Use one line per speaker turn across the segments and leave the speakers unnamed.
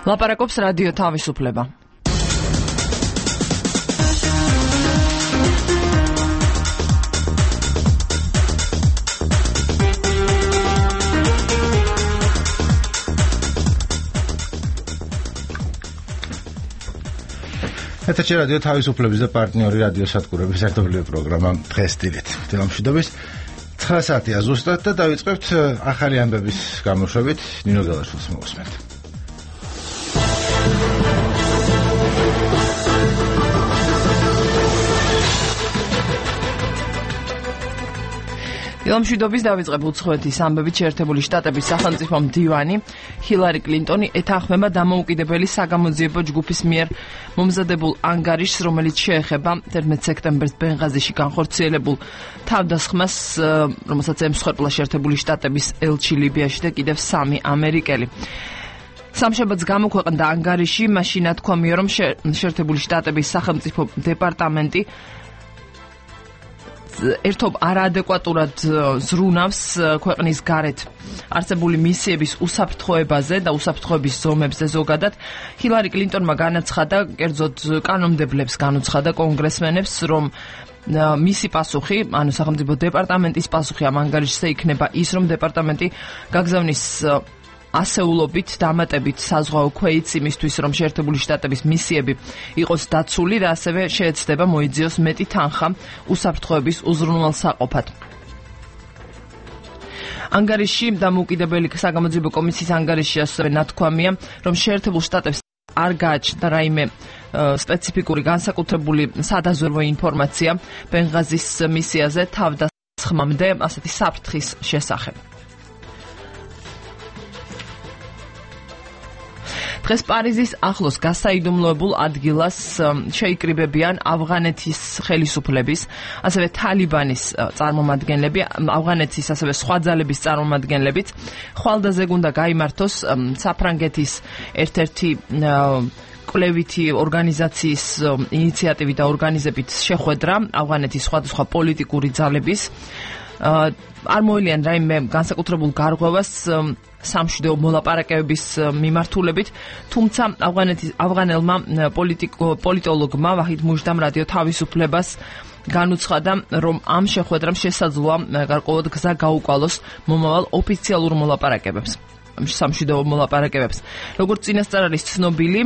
ლაპარაკობს რადიო თავისუფლება.
ეთერში რადიო თავისუფლების და პარტნიორი რადიო სადგურების ერთობლივი პროგრამა დღეს დილით. თემამშვიდობის 9 საათია ზუსტად და დავიწყებთ ახალი ამბების გამოშვებით. ნინო გელაშვილს მოვუსმენთ.
თემამშვიდობის დავიწყებ უცხოეთის ამბებით. შეერთებული შტატების სახელმწიფო მდივანი ჰილარი კლინტონი ეთანხმება დამოუკიდებელი საგამოძიებო ჯგუფის მიერ მომზადებულ ანგარიშს, რომელიც შეეხება 11 სექტემბერს ბენღაზიში განხორციელებულ თავდასხმას, რომელსაც ემსხვერპლა შეერთებული შტატების ელჩი ლიბიაში და კიდევ 3 ამერიკელი. სამშაბათს გამოქვეყნდა ანგარიში, მაშინ თქვა რომ შეერთებული შტატების სახელმწიფო დეპარტამენტი ერთობ არაადეკვატურად ზრუნავს ქვეყნის გარეთ არსებული მისიების უსაფრთხოებაზე და უსაფრთხოების ზომებზე ზოგადად. ჰილარი კლინტონმა განაცხადა, კერძოდ კანონმდებლებს განუცხადა კონგრესმენებს, რომ მისი პასუხი, ანუ სახელმწიფო დეპარტამენტის პასუხი ამ ანგარიშზე იქნება ის, რომ დეპარტამენტი გაგზავნის ასეულობით დამატებით საზღვაო ქვეითს იმისთვის, რომ შეერთებული შტატების მისიები იყოს დაცული და ასევე შეეცდება მოიძიოს მეტი თანხა უსაფრთხოების უზრუნველსაყოფად. ანგარიში დამოუკიდებელი საგამოძიებო კომისიის ანგარიში ასევე ნათქვამია, რომ შეერთებულ შტატებს არ გააჩნდა რაიმე სპეციფიკური განსაკუთრებული სადაზვერვო ინფორმაცია ბენღაზის მისიაზე თავდასხმამდე ასეთი საფრთხის შესახებ. დღეს პარიზის ახლოს გასაიდუმლოებულ ადგილას შეიკრიბებიან ავღანეთის ხელისუფლების, ასევე თალიბანის წარმომადგენლები, ავღანეთის ასევე სხვა ძალების წარმომადგენლებიც. ხვალდაზე უნდა გაიმართოს საფრანგეთის ერთ-ერთი კვლევითი ორგანიზაციის ინიციატივით და ორგანიზებით შეხვედრა ავღანეთის სხვადასხვა პოლიტიკური ძალების. არ მოელიან რაიმე განსაკუთრებულ გარღვევას სამშვიდეო მოლაპარაკებების მიმართულებით, თუმცა ავღანელმა პოლიტოლოგმა ვაჰიდ მუჟდამ რადიო თავისუფლებას განუცხადა, რომ ამ შეხვედრამ შესაძლოა გარკვეულად გზა გაუკვალოს მომავალ ოფიციალურ მოლაპარაკებებს, სამშვიდეო მოლაპარაკებებს. როგორც წინასწარ არის ცნობილი,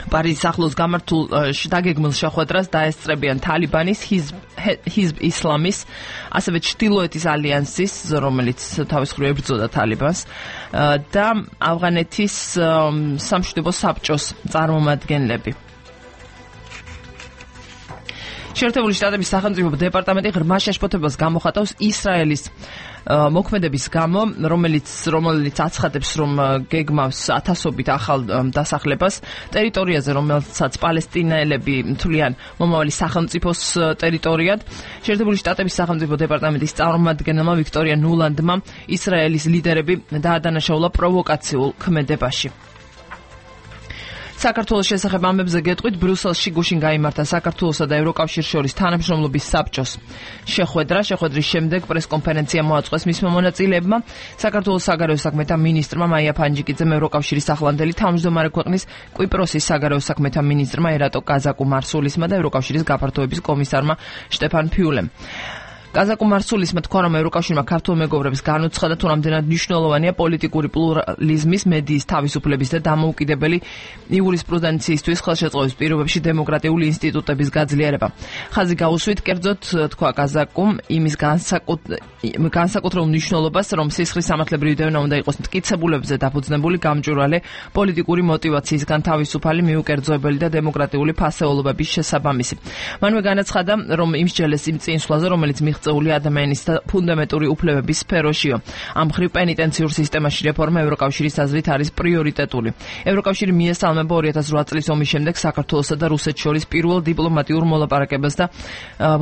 პარიზის ახლოს გამართულ დაგეგმილ შეხვედრას დაესწრებიან თალიბანის, ჰიზბ ისლამის, ასევე ჩრდილოეთის ალიანსის, რომელიც თავის მხრივ ებრძოდა თალიბანს, და ავღანეთის სამშვიდობო საბჭოს წარმომადგენლები. შეერთებული შტატების სახელმწიფო დეპარტამენტი ღრმა შეშფოთებას გამოხატავს ისრაელის მოქმედების გამო, რომელიც აცხადებს, რომ გეგმავს ათასობით ახალ დასახლებას ტერიტორიაზე, რომელსაც პალესტინელები თვლიან მომავალი სახელმწიფოს ტერიტორიად. შეერთებული შტატების სახელმწიფო დეპარტამენტის წარმომადგენელმა ვიქტორია ნულანდმა ისრაელის ლიდერები დაადანაშაულა პროვოკაციულ ქმედებაში. საქართველოს შესახებ ამბებზე გეტყვით, ბრიუსელში გუშინ გაიმართა საქართველოსა და ევროკავშირის შორის თანამშრომლობის საბჭოს შეხვედრა. შეხვედრის შემდეგ პრესკონფერენცია მოაწყვეს მისმა მონაწილეებმა. საქართველოს საგარეო საქმეთა მინისტრმა მაია ფანჯიკიძემ, ევროკავშირის ახლანდელი თავმჯდომარე ქვეყნის კვიპროსის საგარეო საქმეთა მინისტრმა ერატო კაზაკუ-მარსულისმა და ევროკავშირის გაფართოების კომისარმა შტეფან ფიულემ. კაზაკუ-მარსულისმა თქვა, რომ ევროკავშირმა ქართულ მეგობრებს განუცხადა, თუ რამდენად მნიშვნელოვანია პოლიტიკური პლურალიზმის, მედიის თავისუფლების და დამოუკიდებელი იურისპრუდენციისთვის ხელშეწყობის პირობებში დემოკრატიული ინსტიტუტების გაძლიერება. ხაზი გაუსვით, კერძოდ თქვა კაზაკუმ იმის განსაკუთრებულ მნიშვნელობას, რომ სისხლის სამართლებრივი დევნა უნდა იყოს მტკიცებულებზე დაფუძნებული, გამჭვირვალე, პოლიტიკური მოტივაციისგან თავისუფალი, მიუკერძოებელი და დემოკრატიული ფასეულობების შესაბამისი. მანვე განაცხადა, რომ იმსჯელეს იმ წინსვლაზე, რომელიც მიღწეული ადამიანის და ფუნდამენტური უფლებების სფეროშია. ამ მხრივ პენიტენციურ სისტემაში რეფორმა ევროკავშირის აზრით არის პრიორიტეტული. ევროკავშირი მიესალმება 2008 წლის ომის შემდეგ საქართველოსა და რუსეთს შორის პირველ დიპლომატიურ მოლაპარაკებას და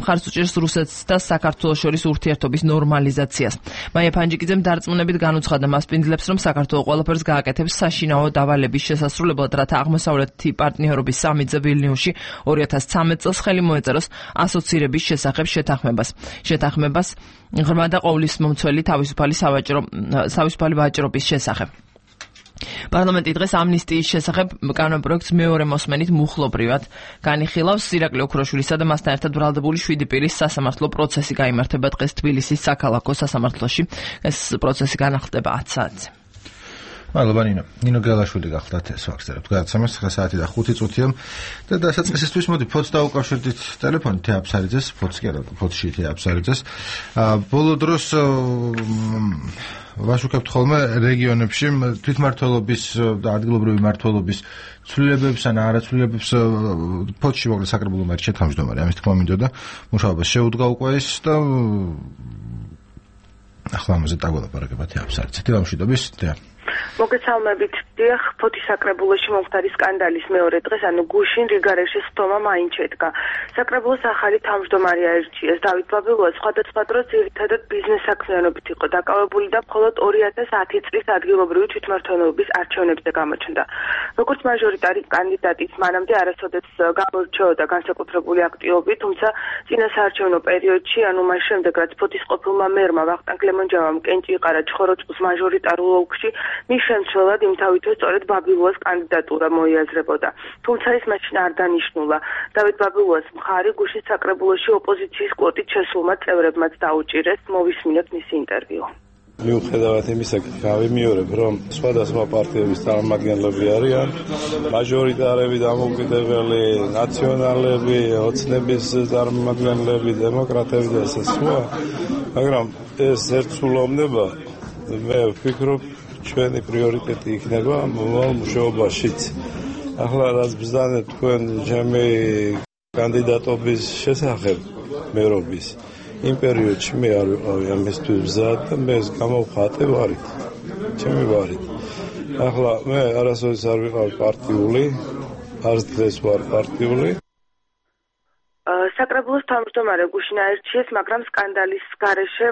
მხარს უჭერს რუსეთს და საქართველოს შორის ურთიერთობის ნორმალიზაციას. მაია ფანჯიკიძემ დარწმუნებით განუცხადა მასპინძლებს, რომ საქართველო ყველაფერს გააკეთებს საშინაო დავალების შესასრულებლად, რათა აღმოსავლეთი პარტნიორობის სამიტზე ვილნიუსში 2013 წელს ხელი მოეწეროს ასოცირების შესახებ შეთანხმებას ღრმა და ყოვლისმომცველი თავისუფალი ვაჭრობის შესახებ. პარლამენტი დღეს ამნისტიის შესახებ კანონპროექტს მეორე მოსმენით მუხლობრივად განიხილავს. ირაკლი ოქროშვილისა და მასთან ერთად ბრალდებული 7 პირის სასამართლო პროცესი გაიმართება დღეს თბილისის საქალაქო სასამართლოში. ეს პროცესი განახლდება 10 საათზე.
მადლობა ნინო გელაშვილი გახლდათ ეს ვახსენებთ. გადაცემას 9 საათი და 5 წუთია და დასაწყისისთვის მოდი ფოთს დაუკავშირდით ტელეფონით თეაფსარიძეს, ფოთს კი არა, ფოთში თეაფსარიძეს. ბოლო დროს ვაშუქებთ ხოლმე რეგიონებში თვითმმართველობის და ადგილობრივი მმართველობის ცვლილებებს ან არაცვლილებებს ფოთში მოკლედ საკრებულო მერჩე თავმჯდომარე ამის თქმა მინდოდა მუშაობას შეუდგა უკვე ის და ახლა ამაზე დაგვალაპარაკება თეაფსარიძე. თეამშვიდობის თეა
მოგესალმებით. დიახ, ფოთის საკრებულოში მომხდარი სკანდალის მეორე დღეს, ანუ გუშინ რიგარეშის ხტომა მაინც შედგა. საკრებულოს ახალი თავმჯდომარე აირჩიეს. დავით ბაბილოვა სხვადასხვა დროს ძირითადად ბიზნეს საქმიანობით იყო დაკავებული და მხოლოდ 2010 წლის ადგილობრივი თვითმმართველობის არჩევნებზე გამოჩნდა. როგორც მაჟორიტარი კანდიდატი, მანამდე არასოდეს გამორჩეოდა განსაკუთრებული აქტივობით, თუმცა წინა საარჩევნო პერიოდში, ანუ მას შემდეგ, რაც ფოთის ყოფილმა მერმა ვახტანგ ლემონჯავამ კენჭი იყარა ჩხოროწყუს მაჟორიტარულ ოლქში, მის შემცველად იმთავითო სწორედ ბაბილოვის კანდიდატურა მოიაზრებოდა. თუმცა ის მაშინ არ დანიშნულა. დავით ბაბილოვის მხარი გუშინ საკრებულოში ოპოზიციის კვოტით შესულმა წევრებმაც დაუჭირეს. მოვისმინოთ მისი ინტერვიუ.
მიუხედავად იმისა, გავიმეორებ, რომ სხვადასხვა პარტიების წარმომადგენლები არიან, მაჟორიტარები, დამოუკიდებელი ნაციონალები, ოცნების წარმომადგენლები, დემოკრატები და ასე სხვა, მაგრამ ეს ერთსულოვნება მე ვფიქრობ ჩვენი პრიორიტეტი იქნება მომავალ მუშაობაშიც. ახლა რაც ბრძანეთ თქვენ ჩემი კანდიდატობის შესახებ მერობის იმ პერიოდში მე არ ვიყავი ამისთვის მზად და მე ეს გამოვხატე ვარით. ჩემი ვარით. ახლა მე არასოდეს არ ვიყავი პარტიული, არც დღეს ვარ პარტიული.
საკრებულოს თავმჯდომარე გუშინ აირჩიეს, მაგრამ სკანდალის გარეშე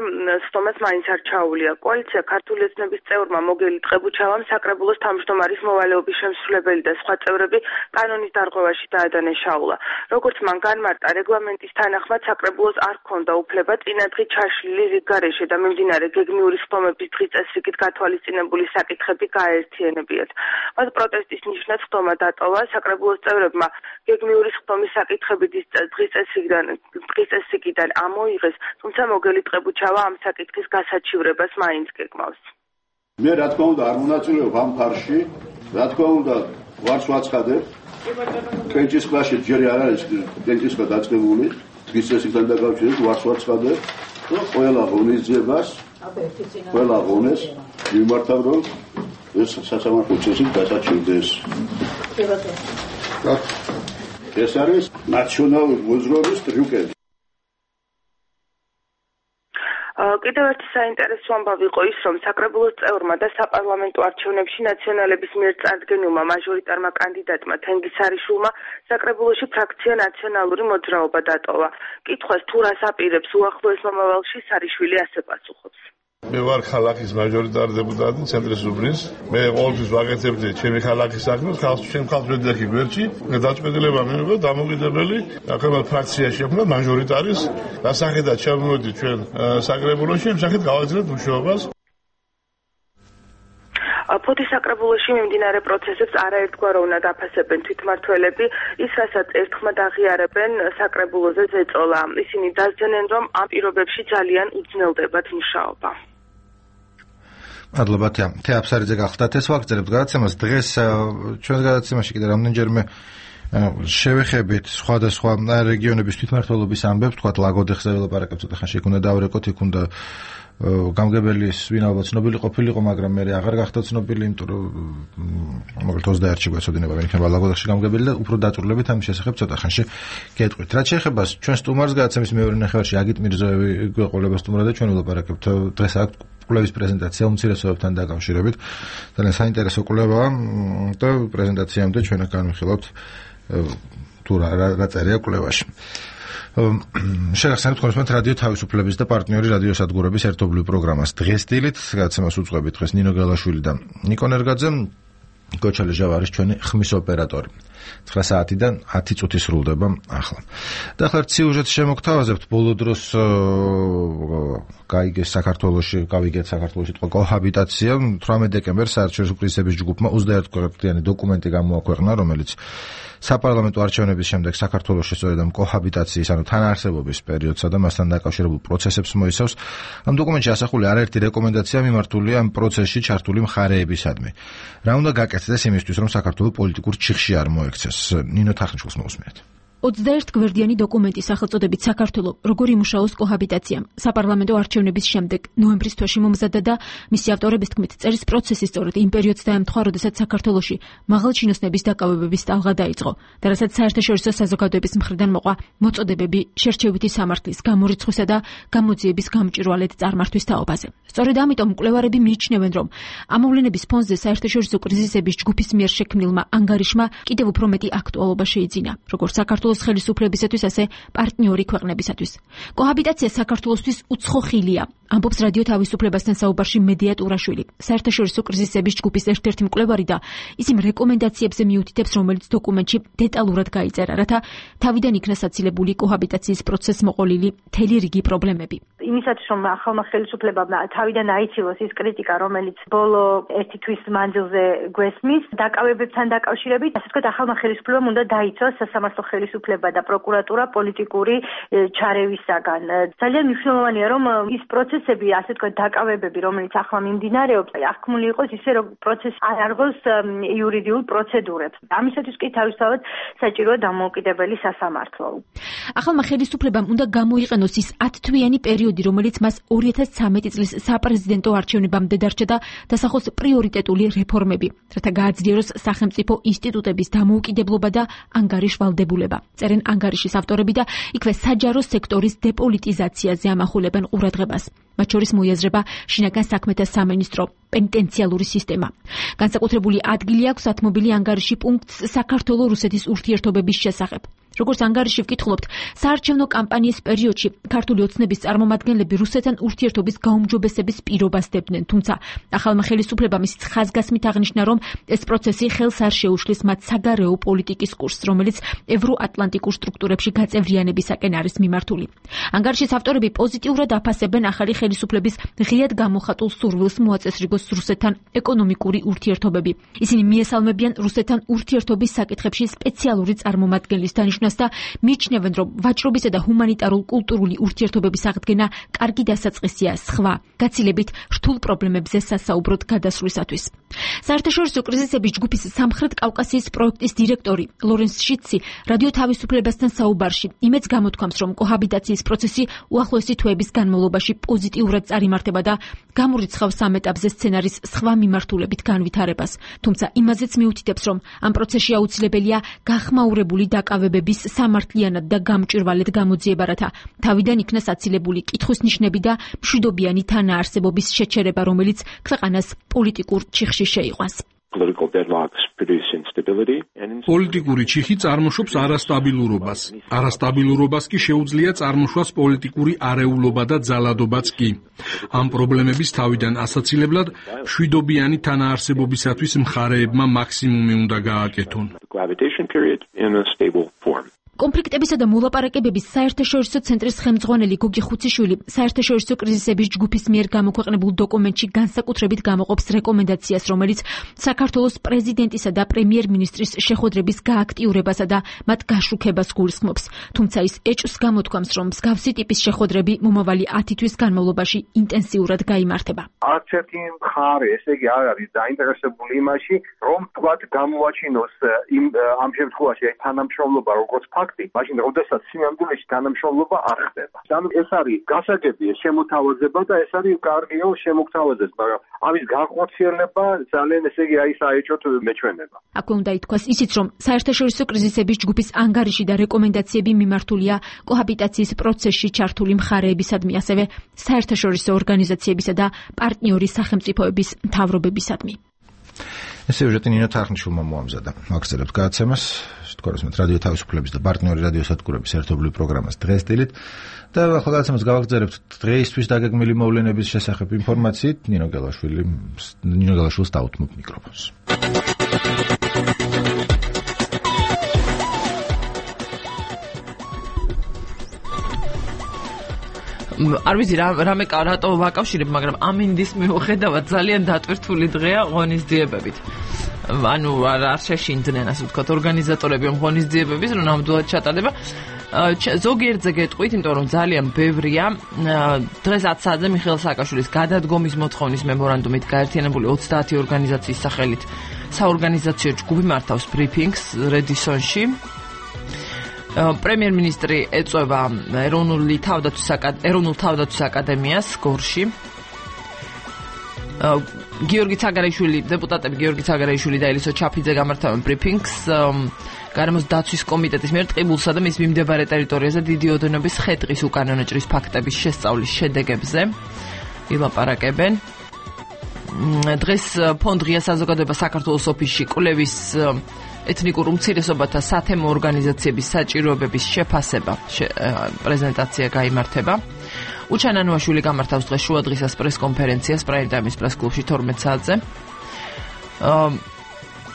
სტომას მაინც არ ჩაუვლია. კოალიცია ქართული ოცნების წევრმა მოგელი ტყებუჩავამ საკრებულოს თავმჯდომარის მოვალეობის შემსრულებელი და სხვა წევრები კანონის დარღვევაში დაადანაშაულა. როგორც მან განმარტა, რეგლამენტის თანახმად საკრებულოს არ ჰქონდა უფლება წინადღი ჩაშლილი რიგგარეშე და მიმდინარე გეგმიური სტომების დღის წესრიგით გათვალისწინებული საკითხები გააერთიანებიათ. მათ პროტესტის ნიშნად სტომა დატოვა. საკრებულოს წევრებმა გეგმიური სტომის საკითხები დღის წესრიგიდან ამოიღეს, თუმცა მოგელი ტყებუჩავა ამ საკითხის გასაჩივრებას მაინც გეგმავს.
მე რა თქმა უნდა არ მონაწილეობ ამ ფარში, რა თქმა უნდა ვარც ვაცხადებ. კენჭის კლასში ჯერ არ არის კენჭის ქა დაწყებული, დღის წესრიგთან დაკავშირებით ვარც ვაცხადებ. ყველა ღონისძიებას, ყველა ღონეს მიმართავ, რომ ეს სასამართლო წესით გასაჩივრდეს. ეს არის ნაციონალური მოძრაობის ტრიუკები.
კიდევ ერთი საინტერესო ამბავი იყო ის, რომ საკრებულოს წევრმა და საპარლამენტო არჩევნებში ნაციონალების მიერ წარდგენილმა მაჟორიტარმა კანდიდატმა თენგიზ სარიშვილმა საკრებულოში ფრაქცია ნაციონალური მოძრაობა დატოვა. კითხვას თუ რას აპირებს უახლოეს მომავალში, სარიშვილი ასე პასუხობს.
მე ვარ ქალაქის მაჟორიტარი დეპუტატი ცენტრის უბნის. მე ყოველთვის ვაკეთებდი ჩემი ქალაქის საქმეს, ჩემ ხალხს ვედიახი გვერდში. დაწყვეტილება მიიღო დამოუკიდებელი აქამდე ფრაქციაში აქვს მაჟორიტარის დასახედად ჩავმოვიდი ჩვენ საკრებულოში, იმ სახით გავაგზავნეთ მუშაობას.
ფოთის საკრებულოში მიმდინარე პროცესებს არაერთგვაროვნად აფასებენ თვითმმართველები, ის რასაც ერთხმად აღიარებენ საკრებულოზე ზეწოლა. ისინი დასძენენ, რომ ამ პირობებში ძალიან უძნელდებათ მუშაობა.
მადლობა თეაფსარიძე გახლდათ ეს ვაგრძელებთ გადაცემას. დღეს ჩვენ გადაცემაში კიდე რამდენჯერმე შევეხებით სხვადასხვა რეგიონების თვითმმართველობის ამბებს, თქვათ ლაგოდეხზე ველაპარაკებთ, ცოტა ხანში იქ უნდა დავრეკოთ, იქ უნდა გამგებელის ვინაობა ცნობილი ყოფილიყო, მაგრამ მე აღარ გახდა ცნობილი, იმიტომ რომ მოკლედ 21-ში გვეცოდინება ვინ იქნება ლაგოდეხში გამგებელი და უფრო დაწვრილებით ამის შესახებ ცოტა ხანში გეტყვით. რაც შეეხება ჩვენ სტუმარს გადაცემის მეორე ნახევარში აგიტ მირზოევი გვეყოლება სტუმრად და ჩვენ ველაპარაკებთ დღეს აქ კვლევის პრეზენტაცია უმცირესობებთან დაკავშირებით. ძალიან საინტერესო კვლევაა და პრეზენტაციამდე ჩვენ განვიხილავთ თუ რა წერია კვლევაში. შეგახსენებთ თქვენს რადიო თავისუფლების და პარტნიორი რადიოსადგურების ერთობლივ პროგრამას დღესდილით გადაცემას უძღვებით დღეს ნინო გელაშვილი და ნიკო ნერგაძე. გოჩა ლეჟავ არის ჩვენი ხმის ოპერატორი. 9 საათიდან 10 წუთი სრულდება ახლა. და ახლა სიუჟეტს შემოგთავაზებთ ბოლო დროს გაიგეს საქართველოში თქვა კოჰაბიტაცია 18 დეკემბერს საერთაშორისო კრიზისების ჯგუფმა 21 ქვეყნიანი დოკუმენტი გამოაქვეყნა, რომელიც საპარლამენტო არჩევნების შემდეგ საქართველოში სწორედ ამ კოჰაბიტაციის, ანუ თანაარსებობის პერიოდსა და მასთან დაკავშირებულ პროცესებს მოიცავს. ამ დოკუმენტში ასახული არაერთი რეკომენდაცია მიმართულია ამ პროცესში ჩართული მხარეებისადმი. რა უნდა გაკეთდეს იმისთვის, რომ საქართველო პოლიტიკურ ჩიხში არ მოექცეს? ნინო თახნიშვილს მოусმენთ.
21 გვერდიანი დოკუმენტის სახელწოდებით საქართველო როგორ იმუშაოს კოჰაბიტაციამ საპარლამენტო არჩევნების შემდეგ ნოემბრის თვეში მომზადდა და მისი ავტორების თქმით წერის პროცესი სწორედ იმ პერიოდს დაემთხვა, როდესაც საქართველოში მაღალჩინოსნების დაკავებების ტალღა დაიწყო და რასაც საერთაშორისო საზოგადოების მხრიდან მოყვა მოწოდებები შერჩევითი სამართლის გამორიცხვისა და გამოძიების გამჭვირვალედ წარმართვის თაობაზე. სწორედ ამიტომ მკვლევარები მიიჩნევენ, რომ ამოვლენების ფონზე საერთაშორისო კრიზისების ჯგუფის მიერ შექმნილმა ანგარიშმა კიდევ უფრო მეტი აქტუალობა შეიძინა, როგორც საქართველოს ხელისუფლებისათვის, ასე პარტნიორი ქვეყნებისათვის. კოჰაბიტაცია საქართველოსთვის უცხო ხილია, ამბობს რადიო თავისუფლებასთან საუბარში მედია ტურაშვილი, საერთაშორისო კრიზისების ჯგუფის ერთ-ერთი მკვლევარი და ის იმ რეკომენდაციებზე მიუთითებს, რომელიც დოკუმენტში დეტალურად გაიწერა, რათა თავიდან იქნა საცილებული კოჰაბიტაციის პროცესს მოყოლილი მთელი რიგი პრობლემები.
იმისათვის, რომ ახალმა ხელისუფლებამ თავიდან აიცილოს ის კრიტიკა, რომელიც ბოლო 1 თვის მანძილზე გვესმის, დაკავებებთან დაკავშირებით, ასე ვთქვათ, ახალმა ხელისუფლებამ უნდა დაიცვას სასამართლო ხელისუფლება და პროკურატურა პოლიტიკური ჩარევისაგან. ძალიან მნიშვნელოვანია, რომ ის პროცესები, ასე ვთქვათ, დაკავებები, რომელიც ახლა მიმდინარეობს, აღქმული იყოს ისე, რომ პროცესი არ არღოს იურიდიულ პროცედურებს. ამისათვის კი თავისთავად საჭიროა დამოუკიდებელი სასამართლო.
ახალმა ხელისუფლებამ უნდა გამოიყენოს ის 10 თვიანი პერიოდი, რომელიც მას 2013 წლის საპრეზიდენტო არჩევნებამდე დარჩა და დასახოს პრიორიტეტული რეფორმები, რათა გააძლიეროს სახელმწიფო ინსტიტუტების დამოუკიდებლობა და ანგარიშვალდებულება. წერენ ანგარიშის ავტორები და იქვე საჯარო სექტორის დეპოლიტიზაციაზე ამახულებენ ყურადღებას. მათ შორის მოიაზრება შინაგან საქმეთა სამინისტრო, პენიტენციალური სისტემა. განსაკუთრებული ადგილი აქვს ათმობილი ანგარიში პუნქტს საქართველო-რუსეთის ურთიერთობების შესახებ. როგორც ანგარიში ვკითხულობთ, საარჩევნო კამპანიის პერიოდში ქართული ოცნების წარმომადგენლები რუსეთთან ურთიერთობის გაუმჯობესების პირობას დებდნენ, თუმცა ახალმა ხელისუფლებამ ისიც ხაზგასმით აღნიშნა, რომ ეს პროცესი ხელს არ შეუშლის მათ საგარეო პოლიტიკის კურსს, რომელიც ევროატლანტიკურ სტრუქტურებში გაწევრიანებისაკენ არის მიმართული. ანგარიშის ავტორები პოზიტიურად აფასებენ ახალი ხელისუფლების ღიად გამოხატულ სურვილს მოაწესრიგოს რუსეთთან ეკონომიკური ურთიერთობები. ისინი მიესალმებიან რუსეთთან ურთიერთობის საკითხებში სპეციალური წარმომადგენლის დანიშნულებას და მიიჩნევენ, რომ ვაჭრობისა და ჰუმანიტარულ-კულტურული ურთიერთობების აღდგენა კარგი დასაწყისია სხვა, გაცილებით რთულ პრობლემებზე სასაუბროდ გადასვლისათვის. საერთაშორისო კრიზისების ჯგუფის სამხრეთ კავკასიის პროექტის დირექტორი ლორენს შიცი რადიო თავისუფლებასთან საუბარში იმედს გამოთქვამს, რომ კოჰაბიტაციის პროცესი უახლოესი თვეების განმავლობაში პოზიტიურად წარიმართება და გამორიცხავს ამ ეტაპზე სცენარის სხვა მიმართულებით განვითარებას. თუმცა იმაზეც მიუთითებს, რომ ამ პროცესში აუცილებელია გახმაურებული დაკავებების სამართლიანად და გამჭვირვალედ გამოძიება, რათა თავიდან იქნა საცილებული კითხვის ნიშნები და მშვიდობიანი თანაარსებობის შეჩერება, რომელიც ქვეყანას პოლიტიკურ ჩიხში შეიყვანს.
პოლიტიკური ჩიხი წარმოშობს არასტაბილურობას. არასტაბილურობას კი შეუძლია წარმოშვას პოლიტიკური არეულობა და ძალადობაც კი. ამ პრობლემების თავიდან ასაცილებლად მშვიდობიანი თანაარსებობისათვის მხარეებმა მაქსიმუმი უნდა გააკეთონ.
კონფლიქტებისა და მოლაპარაკებების საერთაშორისო ცენტრის ხელმძღვანელი გოგი ხუციშვილი საერთაშორისო კრიზისების ჯგუფის მიერ გამოქვეყნებულ დოკუმენტში განსაკუთრებით გამოყოფს რეკომენდაციას, რომელიც საქართველოს პრეზიდენტისა და პრემიერ-მინისტრის შეხვედრების გააქტიურებასა და მათ გაშუქებას გულისხმობს. თუმცა ის ეჭვს გამოთქვამს, რომ მსგავსი ტიპის შეხვედრები მომავალი 10 თვის განმავლობაში ინტენსიურად გაიმართება.
არც ერთი მხარე, ესე იგი, არ არის დაინტერესებული იმაში, რომ თქვათ გამოვაჩინოს ამ შემთხვევაში თანამშრომლობა როგორც მაშინ როდესაც სინამდვილეში თანამშრომლობა არ ხდება. ანუ ეს არის გასაგებია შემოთავაზება და ეს არის კარგია შემოგთავაზეს, მაგრამ ამის განხორციელება ძალიან ესე იგი აი საეჭვოდ მეჩვენება.
აქვე უნდა ითქვას ისიც, რომ საერთაშორისო კრიზისების ჯგუფის ანგარიში და რეკომენდაციები მიმართულია კოჰაბიტაციის პროცესში ჩართული მხარეებისადმი, ასევე საერთაშორისო ორგანიზაციებისა და პარტნიორი სახელმწიფოების მთავრობებისადმი.
ეს სიუჟეტი ნინო თახნიშვილმა მოამზადა. მაგწერებთ გადაცემას, თქოროსმეთ რადიო თავისუფლების და პარტნიორი რადიოსადგურების ერთობლივ პროგრამას დღეს დილით და ახლა გადაცემას გავაგრძელებთ დღეისთვის დაგეგმილი მოვლენების შესახებ ინფორმაციით. ნინო გელაშვილს დავუთმობ მიკროფონს.
არ ვიცი რამე რატო ვაკავშირებ, მაგრამ ამინდის მიუხედავად ძალიან დატვირთული დღეა ღონისძიებებით. ანუ არ შეშინდნენ, ასე ვთქვათ, ორგანიზატორები ღონისძიებების, რომ ნამდვილად ჩატარდება. ზოგიერთზე გეტყვით, იმიტომ რომ ძალიან ბევრია. დღეს 10 საათზე მიხეილ სააკაშვილის გადადგომის მოთხოვნის მემორანდუმით გაერთიანებული 30 ორგანიზაციის სახელით საორგანიზაციო ჯგუფი მართავს ბრიფინგს რედისონში. პრემიერ-მინისტრი ეწვევა ეროვნულ თავდაცვის აკადემიას გორში. დეპუტატები გიორგი ცაგარაიშვილი და ელისო ჩაფიძე გამართავენ ბრიფინგს გარემოს დაცვის კომიტეტის მიერ ტყიბულსა და მის მიმდებარე ტერიტორიაზე დიდი ოდენობის ხე-ტყის უკანონო ჭრის ფაქტების შესწავლის შედეგებზე ილაპარაკებენ. დღეს ფონდ ღია საზოგადოება საქართველოს ოფისში კვლევის ეთნიკურ უმცირესობათა სათემო ორგანიზაციების საჭიროებების შეფასება პრეზენტაცია გაიმართება. უჩან ანუაშვილი გამართავს დღეს შუადღისას პრესკონფერენციას პრაიმ-ტაიმის პრესკლუბში 12 საათზე.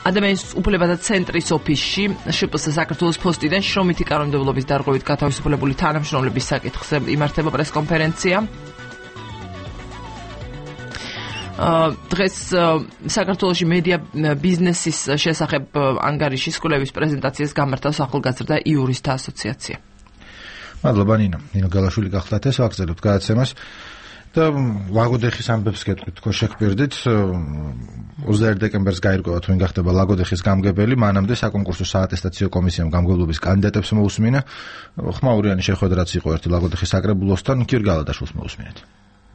ადამიანის უფლებათა ცენტრის ოფისში შპს საქართველოს ფოსტიდან შრომითი კანონმდებლობის დარღვევით გათავისუფლებული თანამშრომლების საკითხზე იმართება პრესკონფერენცია. დღეს საქართველოში მედია ბიზნესის შესახებ ანგარიშის კვლევის პრეზენტაციას გამართავს ახალგაზრდა იურისტთა ასოციაცია.
მადლობა ნინო გალაშვილი გახლდათ ეს ვაგზავნებთ გადაცემას და ლაგოდეხის ამბებს გეტყვით თქო შეგფერდით 21 დეკემბერს გაირკვევა თუ ვინ გახდება ლაგოდეხის გამგებელი მანამდე საკონკურსო საატესტაციო კომისიამ გამგებლობის კანდიდატებს მოусმინა ხმაურიანი შეხვედრაც იყო ერთი ლაგოდეხის საკრებულოსთან გიორგი გალადაშვილს მოусმინეთ.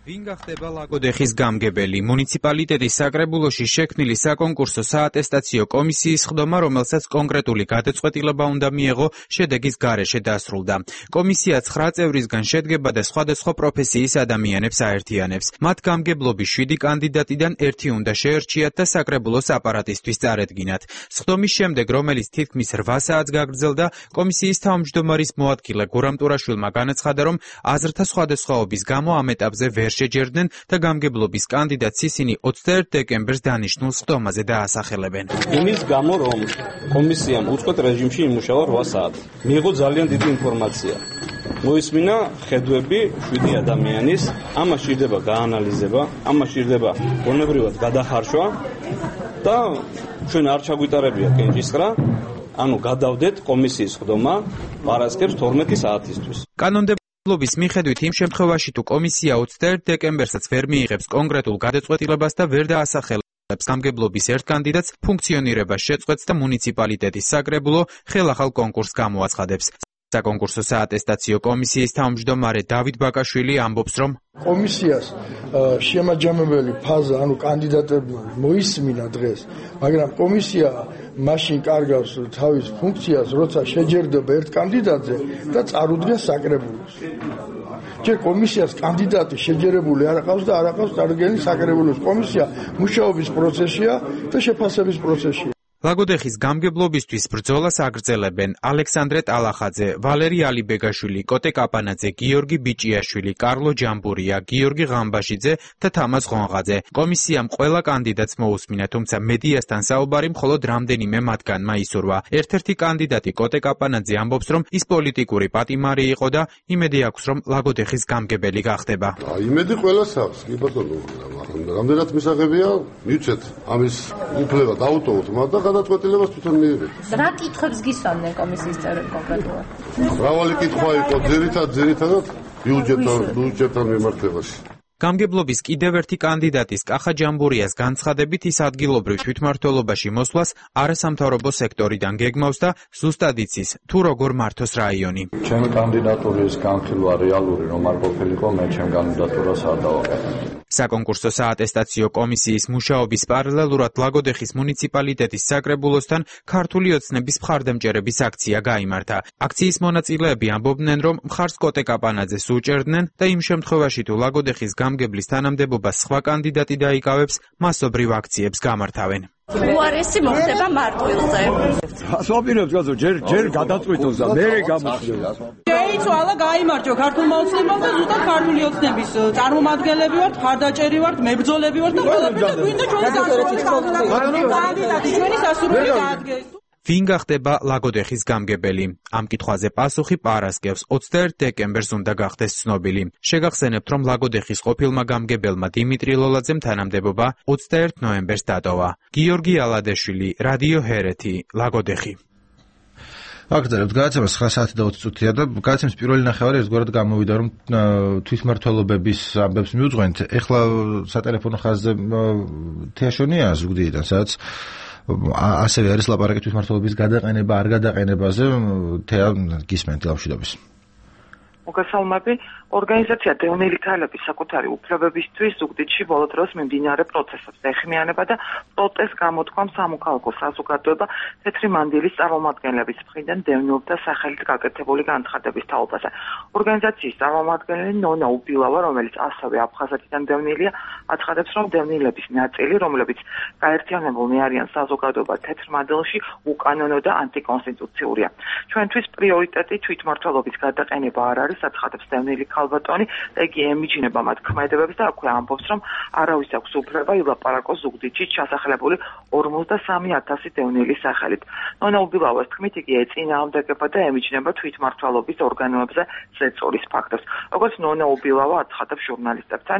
ვინ გახდება ლაგოდეხის გამგებელი? მუნიციპალიტეტის საკრებულოში შექმნილი საკონკურსო საატესტაციო კომისიის ხდომა, რომელსაც კონკრეტული გადაწყვეტილება უნდა მიეღო, შედეგის გარეშე დასრულდა. კომისია 9 წევრისგან შედგება და სხვადასხვა პროფესიის ადამიანებს აერთიანებს. მათ გამგებლობის 7 კანდიდატიდან 1 უნდა შეერჩიათ და საკრებულოს აპარატისთვის წარედგინათ. სხდომის შემდეგ, რომელიც თითქმის 8 საათს გაგრძელდა, კომისიის თავმჯდომარის მოადგილე გურამ ტურაშვილმა განაცხადა, რომ აზრთა სხვადასხვაობის გამო ამ ეტაპზე ვერ შეჯერდნენ და გამგებლობის კანდიდატს ისინი 21 დეკემბერს დანიშნულ სხდომაზე დაასახელებენ.
იმის გამო, რომ კომისიამ უწყვეტ რეჟიმში იმუშავა 8 საათი. მიიღო ძალიან დიდი ინფორმაცია. მოისმინა ხედვები 7 ადამიანის, ამას სჭირდება გაანალიზება, ამას სჭირდება გონებრივად გადახარშვა და ჩვენ არ ჩაგვიტარებია კენჭისყრა. ანუ გადავდეთ კომისიის სხდომა პარასკევს 12 საათისთვის.
კანონმდებლობის მიხედვით იმ შემთხვევაში თუ კომისია 21 დეკემბერსაც ვერ მიიღებს კონკრეტულ გადაწყვეტილებას და ვერ დაასახელებს გამგებლობის ერთ კანდიდატს, ფუნქციონირებას შეწყვეტს და მუნიციპალიტეტის საკრებულო ხელახალ კონკურსს გამოაცხადებს. საკონკურსო საატესტაციო კომისიის თავმჯდომარე დავით ბაკაშვილი ამბობს, რომ
კომისიას შემაჯამებელი ფაზა, ანუ კანდიდატები მოისმინა დღეს, მაგრამ კომისია მაშინ კარგავს თავის ფუნქციას, როცა შეჯერდება ერთ კანდიდატზე და წარუდგენს საკრებულოს. ჯერ კომისიას კანდიდატი შეჯერებული არ აყავს და არ აყავს წარდგენის საკრებულოს. კომისია მუშაობის პროცესია და შეფასების პროცესია.
ლაგოდეხის გამგებლობისთვის ბრძოლას აგრძელებენ ალექსანდრე ტალახაძე, ვალერი ალიბეგაშვილი, კოტე კაპანაძე, გიორგი ბიჭიაშვილი, კარლო ჯამბურია, გიორგი ღამბაშიძე და თამაზ ღონღაძე. კომისიამ ყველა კანდიდატს მოусმინა, თუმცა მედიასთან საუბარი მხოლოდ რამდენიმე მათგანმა ისურვა. ერთ-ერთი კანდიდატი კოტე კაპანაძე ამბობს, რომ ის პოლიტიკური პატიმარი იყო და იმედი აქვს, რომ ლაგოდეხის გამგებელი გახდება.
იმედი ყველას აქვს, კი ბატონო, რამდენად მისაღებია, მივცეთ ამის უფლება დაუტოვოთ მათ და გადაწყვეტილებას თვითონ მიიღეთ.
რა კითხვებს გისვამდნენ კომისიის წევრები კონკრეტულად?
მრავალი კითხვა იყო, ძირითადად ბიუჯეტთან მიმართებაში.
გამგებლობის კიდევ ერთი კანდიდატის კახა ჯამბურიას განცხადებით ის ადგილობრივ თვითმმართველობაში მოსვლას არასამთავრობო სექტორიდან გეგმავს და ზუსტად იცის თუ როგორ მართოს რაიონი.
ჩემი კანდიდატურის განხილვა რეალური რომ არ ყოფილიყო, მე ჩემ კანდიდატურას არ დავაკეთებ.
საკონკურსო საატესტაციო კომისიის მუშაობის პარალელურად ლაგოდეხის მუნიციპალიტეტის საკრებულოსთან ქართული ოცნების მხარდამჭერების აქცია გაიმართა. აქციის მონაწილეები ამბობდნენ, რომ მხარს კოტე კაპანაძეს უჭერდნენ და იმ შემთხვევაში თუ ლაგოდეხის გამგებლის თანამდებობას სხვა კანდიდატი დაიკავებს, მასობრივ აქციებს გამართავენ.
უარესი მოხდება მარტვილზე.
ასვაპირებს გაზო ჯერ გადაწყვიტოს და მე გამოხდება.
შეიცვალა გაიმარჯვა ქართულმა ოცნებამ და ზუსტად ქართული ოცნების წარმომადგენლები ვართ, მხარდაჭერი ვართ, მებრძოლები ვართ და ყველაფერი და გვინდა ჩვენი კანდიდატი ჩვენი სასურველი დაადგეს.
ვინ გახდება ლაგოდეხის გამგებელი? ამ კითხვაზე პასუხი პარასკევს 21 დეკემბერს უნდა გახდეს ცნობილი. შეგახსენებთ, რომ ლაგოდეხის ყოფილმა გამგებელმა დიმიტრი ლოლაძემ თანამდებობა 21 ნოემბერს დატოვა. გიორგი ალადეშვილი, რადიო ჰერეთი, ლაგოდეხი.
აკრძალებთ გადაცემას 9 საათი და 20 წუთია და გადაცემის პირველი ნახევარი ერთგვარად გამოვიდა, რომ თვითმმართველობების ამბებს მიუძღვენთ. ეხლა სატელეფონო ხაზზე თეაშონია ზუგდიდიდან, სადაც ასევე არის ლაპარაკი თვითმმართველობის გადაყენება არ გადაყენებაზე. თეა გისმენთ ლამშვიდობის.
მოგესალმები. ორგანიზაცია დევნილი ქალების საკუთარი უფლებებისთვის ზუგდიდში ბოლო დროს მიმდინარე პროცესებს ეხმიანება და პროტესტს გამოთქვამ სამოქალაქო საზოგადოება თეთრი მანდილის წარმომადგენლების მხრიდან დევნილთა სახელით გაკეთებული განცხადების თაობაზე. ორგანიზაციის წარმომადგენელი ნონა უბილავა, რომელიც ასევე აფხაზეთიდან დევნილია, აცხადებს, რომ დევნილების ნაწილი, რომლებიც გაერთიანებულნი არიან საზოგადოება თეთრ მანდილში, უკანონო და ანტიკონსტიტუციურია. ჩვენთვის პრიორიტეტი თვითმმართველობის გადაყენება არ არის, აცხადებს დევნილი ქალბატონი, იგი ემიჯნება მათ ქმედებებს და აქვე ამბობს, რომ არავის აქვს უფლება ილაპარაკოს ზუგდიდში ჩასახლებული 53,000 დევნილის სახელით. ნონა უბილავას თქმით, იგი ეწინააღმდეგება და ემიჯნება თვითმმართველობის ორგანოებზე ზეწოლის ფაქტებს. როგორც ნონა უბილავა აცხადებს ჟურნალისტებთან,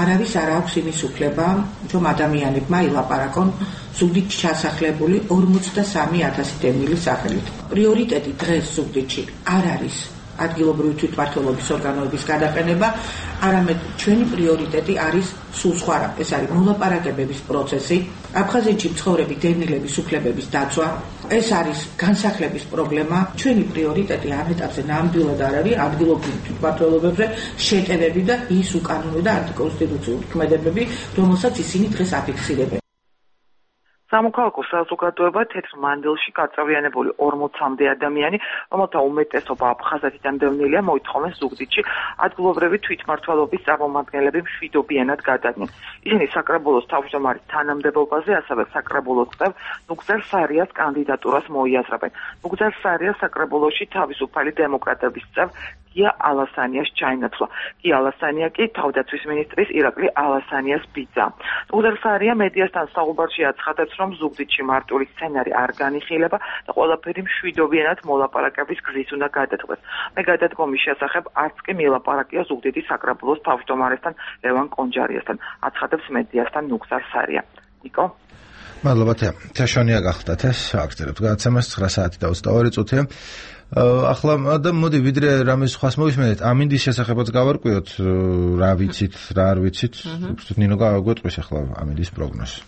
არავის არ აქვს იმის უფლება, რომ ადამიანებმა ილაპარაკონ ზუგდიდში ჩასახლებული 53,000 დევნილის სახელით. პრიორიტეტი დღეს ზუგდიდში არ არის ადგილობრივი თვითმმართველობის ორგანოების გადაყენება, არამედ ჩვენი პრიორიტეტი არის სულ სხვა რამ. ეს არის მოლაპარაკებების პროცესი, აფხაზეთში მცხოვრები დევნილების უფლებების დაცვა, ეს არის განსახლების პრობლემა. ჩვენი პრიორიტეტი ამ ეტაპზე ნამდვილად არ არის ადგილობრივი თვითმმართველობებზე შეტევები და ის უკანონო და ანტიკონსტიტუციური ქმედებები, რომელსაც ისინი დღეს აფიქსირებენ.
სამოქალაქო საზოგადოება თეთრ მანდილში გაწევრიანებული 40-მდე ადამიანი, რომელთა უმეტესობა აფხაზეთიდან დევნილია, მოითხოვენ ზუგდიდში ადგილობრივი თვითმმართველობის წარმომადგენლები მშვიდობიანად გადადნენ. ისინი საკრებულოს თავმჯდომარის თანამდებობაზე, ასევე საკრებულოს წევ ნუგზარ სარიას კანდიდატურას მოიაზრებენ. ნუგზარ სარია საკრებულოში თავისუფალი დემოკრატების წევ გია ალასანიას ჩაინაცვლა. გია ალასანია კი თავდაცვის მინისტრის ირაკლი ალასანიას ბიძა. ნუგზარ სარია მედიასთან საუბარში აცხადებს, რომ ზუგდიდში მარტივი სცენარი არ განიხილება და ყველაფერი მშვიდობიანად მოლაპარაკების გზის უნდა გადადგეს. მე გადადგომის შესახებ არც კი მილაპარაკია ზუგდიდის საკრებულოს თავმჯდომარესთან ლევან კონჯარიასთან, აცხადებს მედიასთან ნუგზარ სარია. ნიკო
მადლობა თეაშონია გახდათ ეს აკრძალებთ გადაცემას 9 საათი და 22 წუთია. ახლა და მოდი ვიდრე რამის სხვას მოვისმენთ, ამინდის შესახებაც გავარკვიოთ, რა ვიცით, რა არ ვიცით. ნინო გაგვეტყვის ახლა ამინდის პროგნოზი.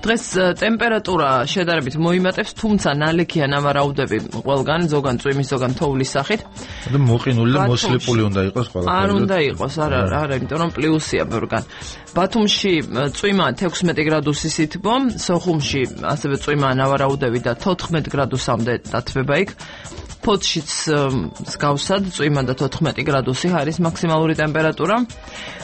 დღეს ტემპერატურა შედარებით მოიმატებს, თუმცა ნალექია ნავარაუდები ყველგან, ზოგან წვიმის, ზოგან თოვლის სახით.
და მოყინული და მოსლიპული უნდა იყოს ყველაფერი.
არ უნდა იყოს, არა, იმიტომ რომ პლუსია ბევრგან. ბათუმში წვიმა 16 გრადუსის ითბო, სოხუმში ასევე წვიმა ნავარაუდები და 14 გრადუსამდე დათბება იქ. ფოთშიც მსგავსად წვიმა და 14 გრადუსი არის მაქსიმალური ტემპერატურა.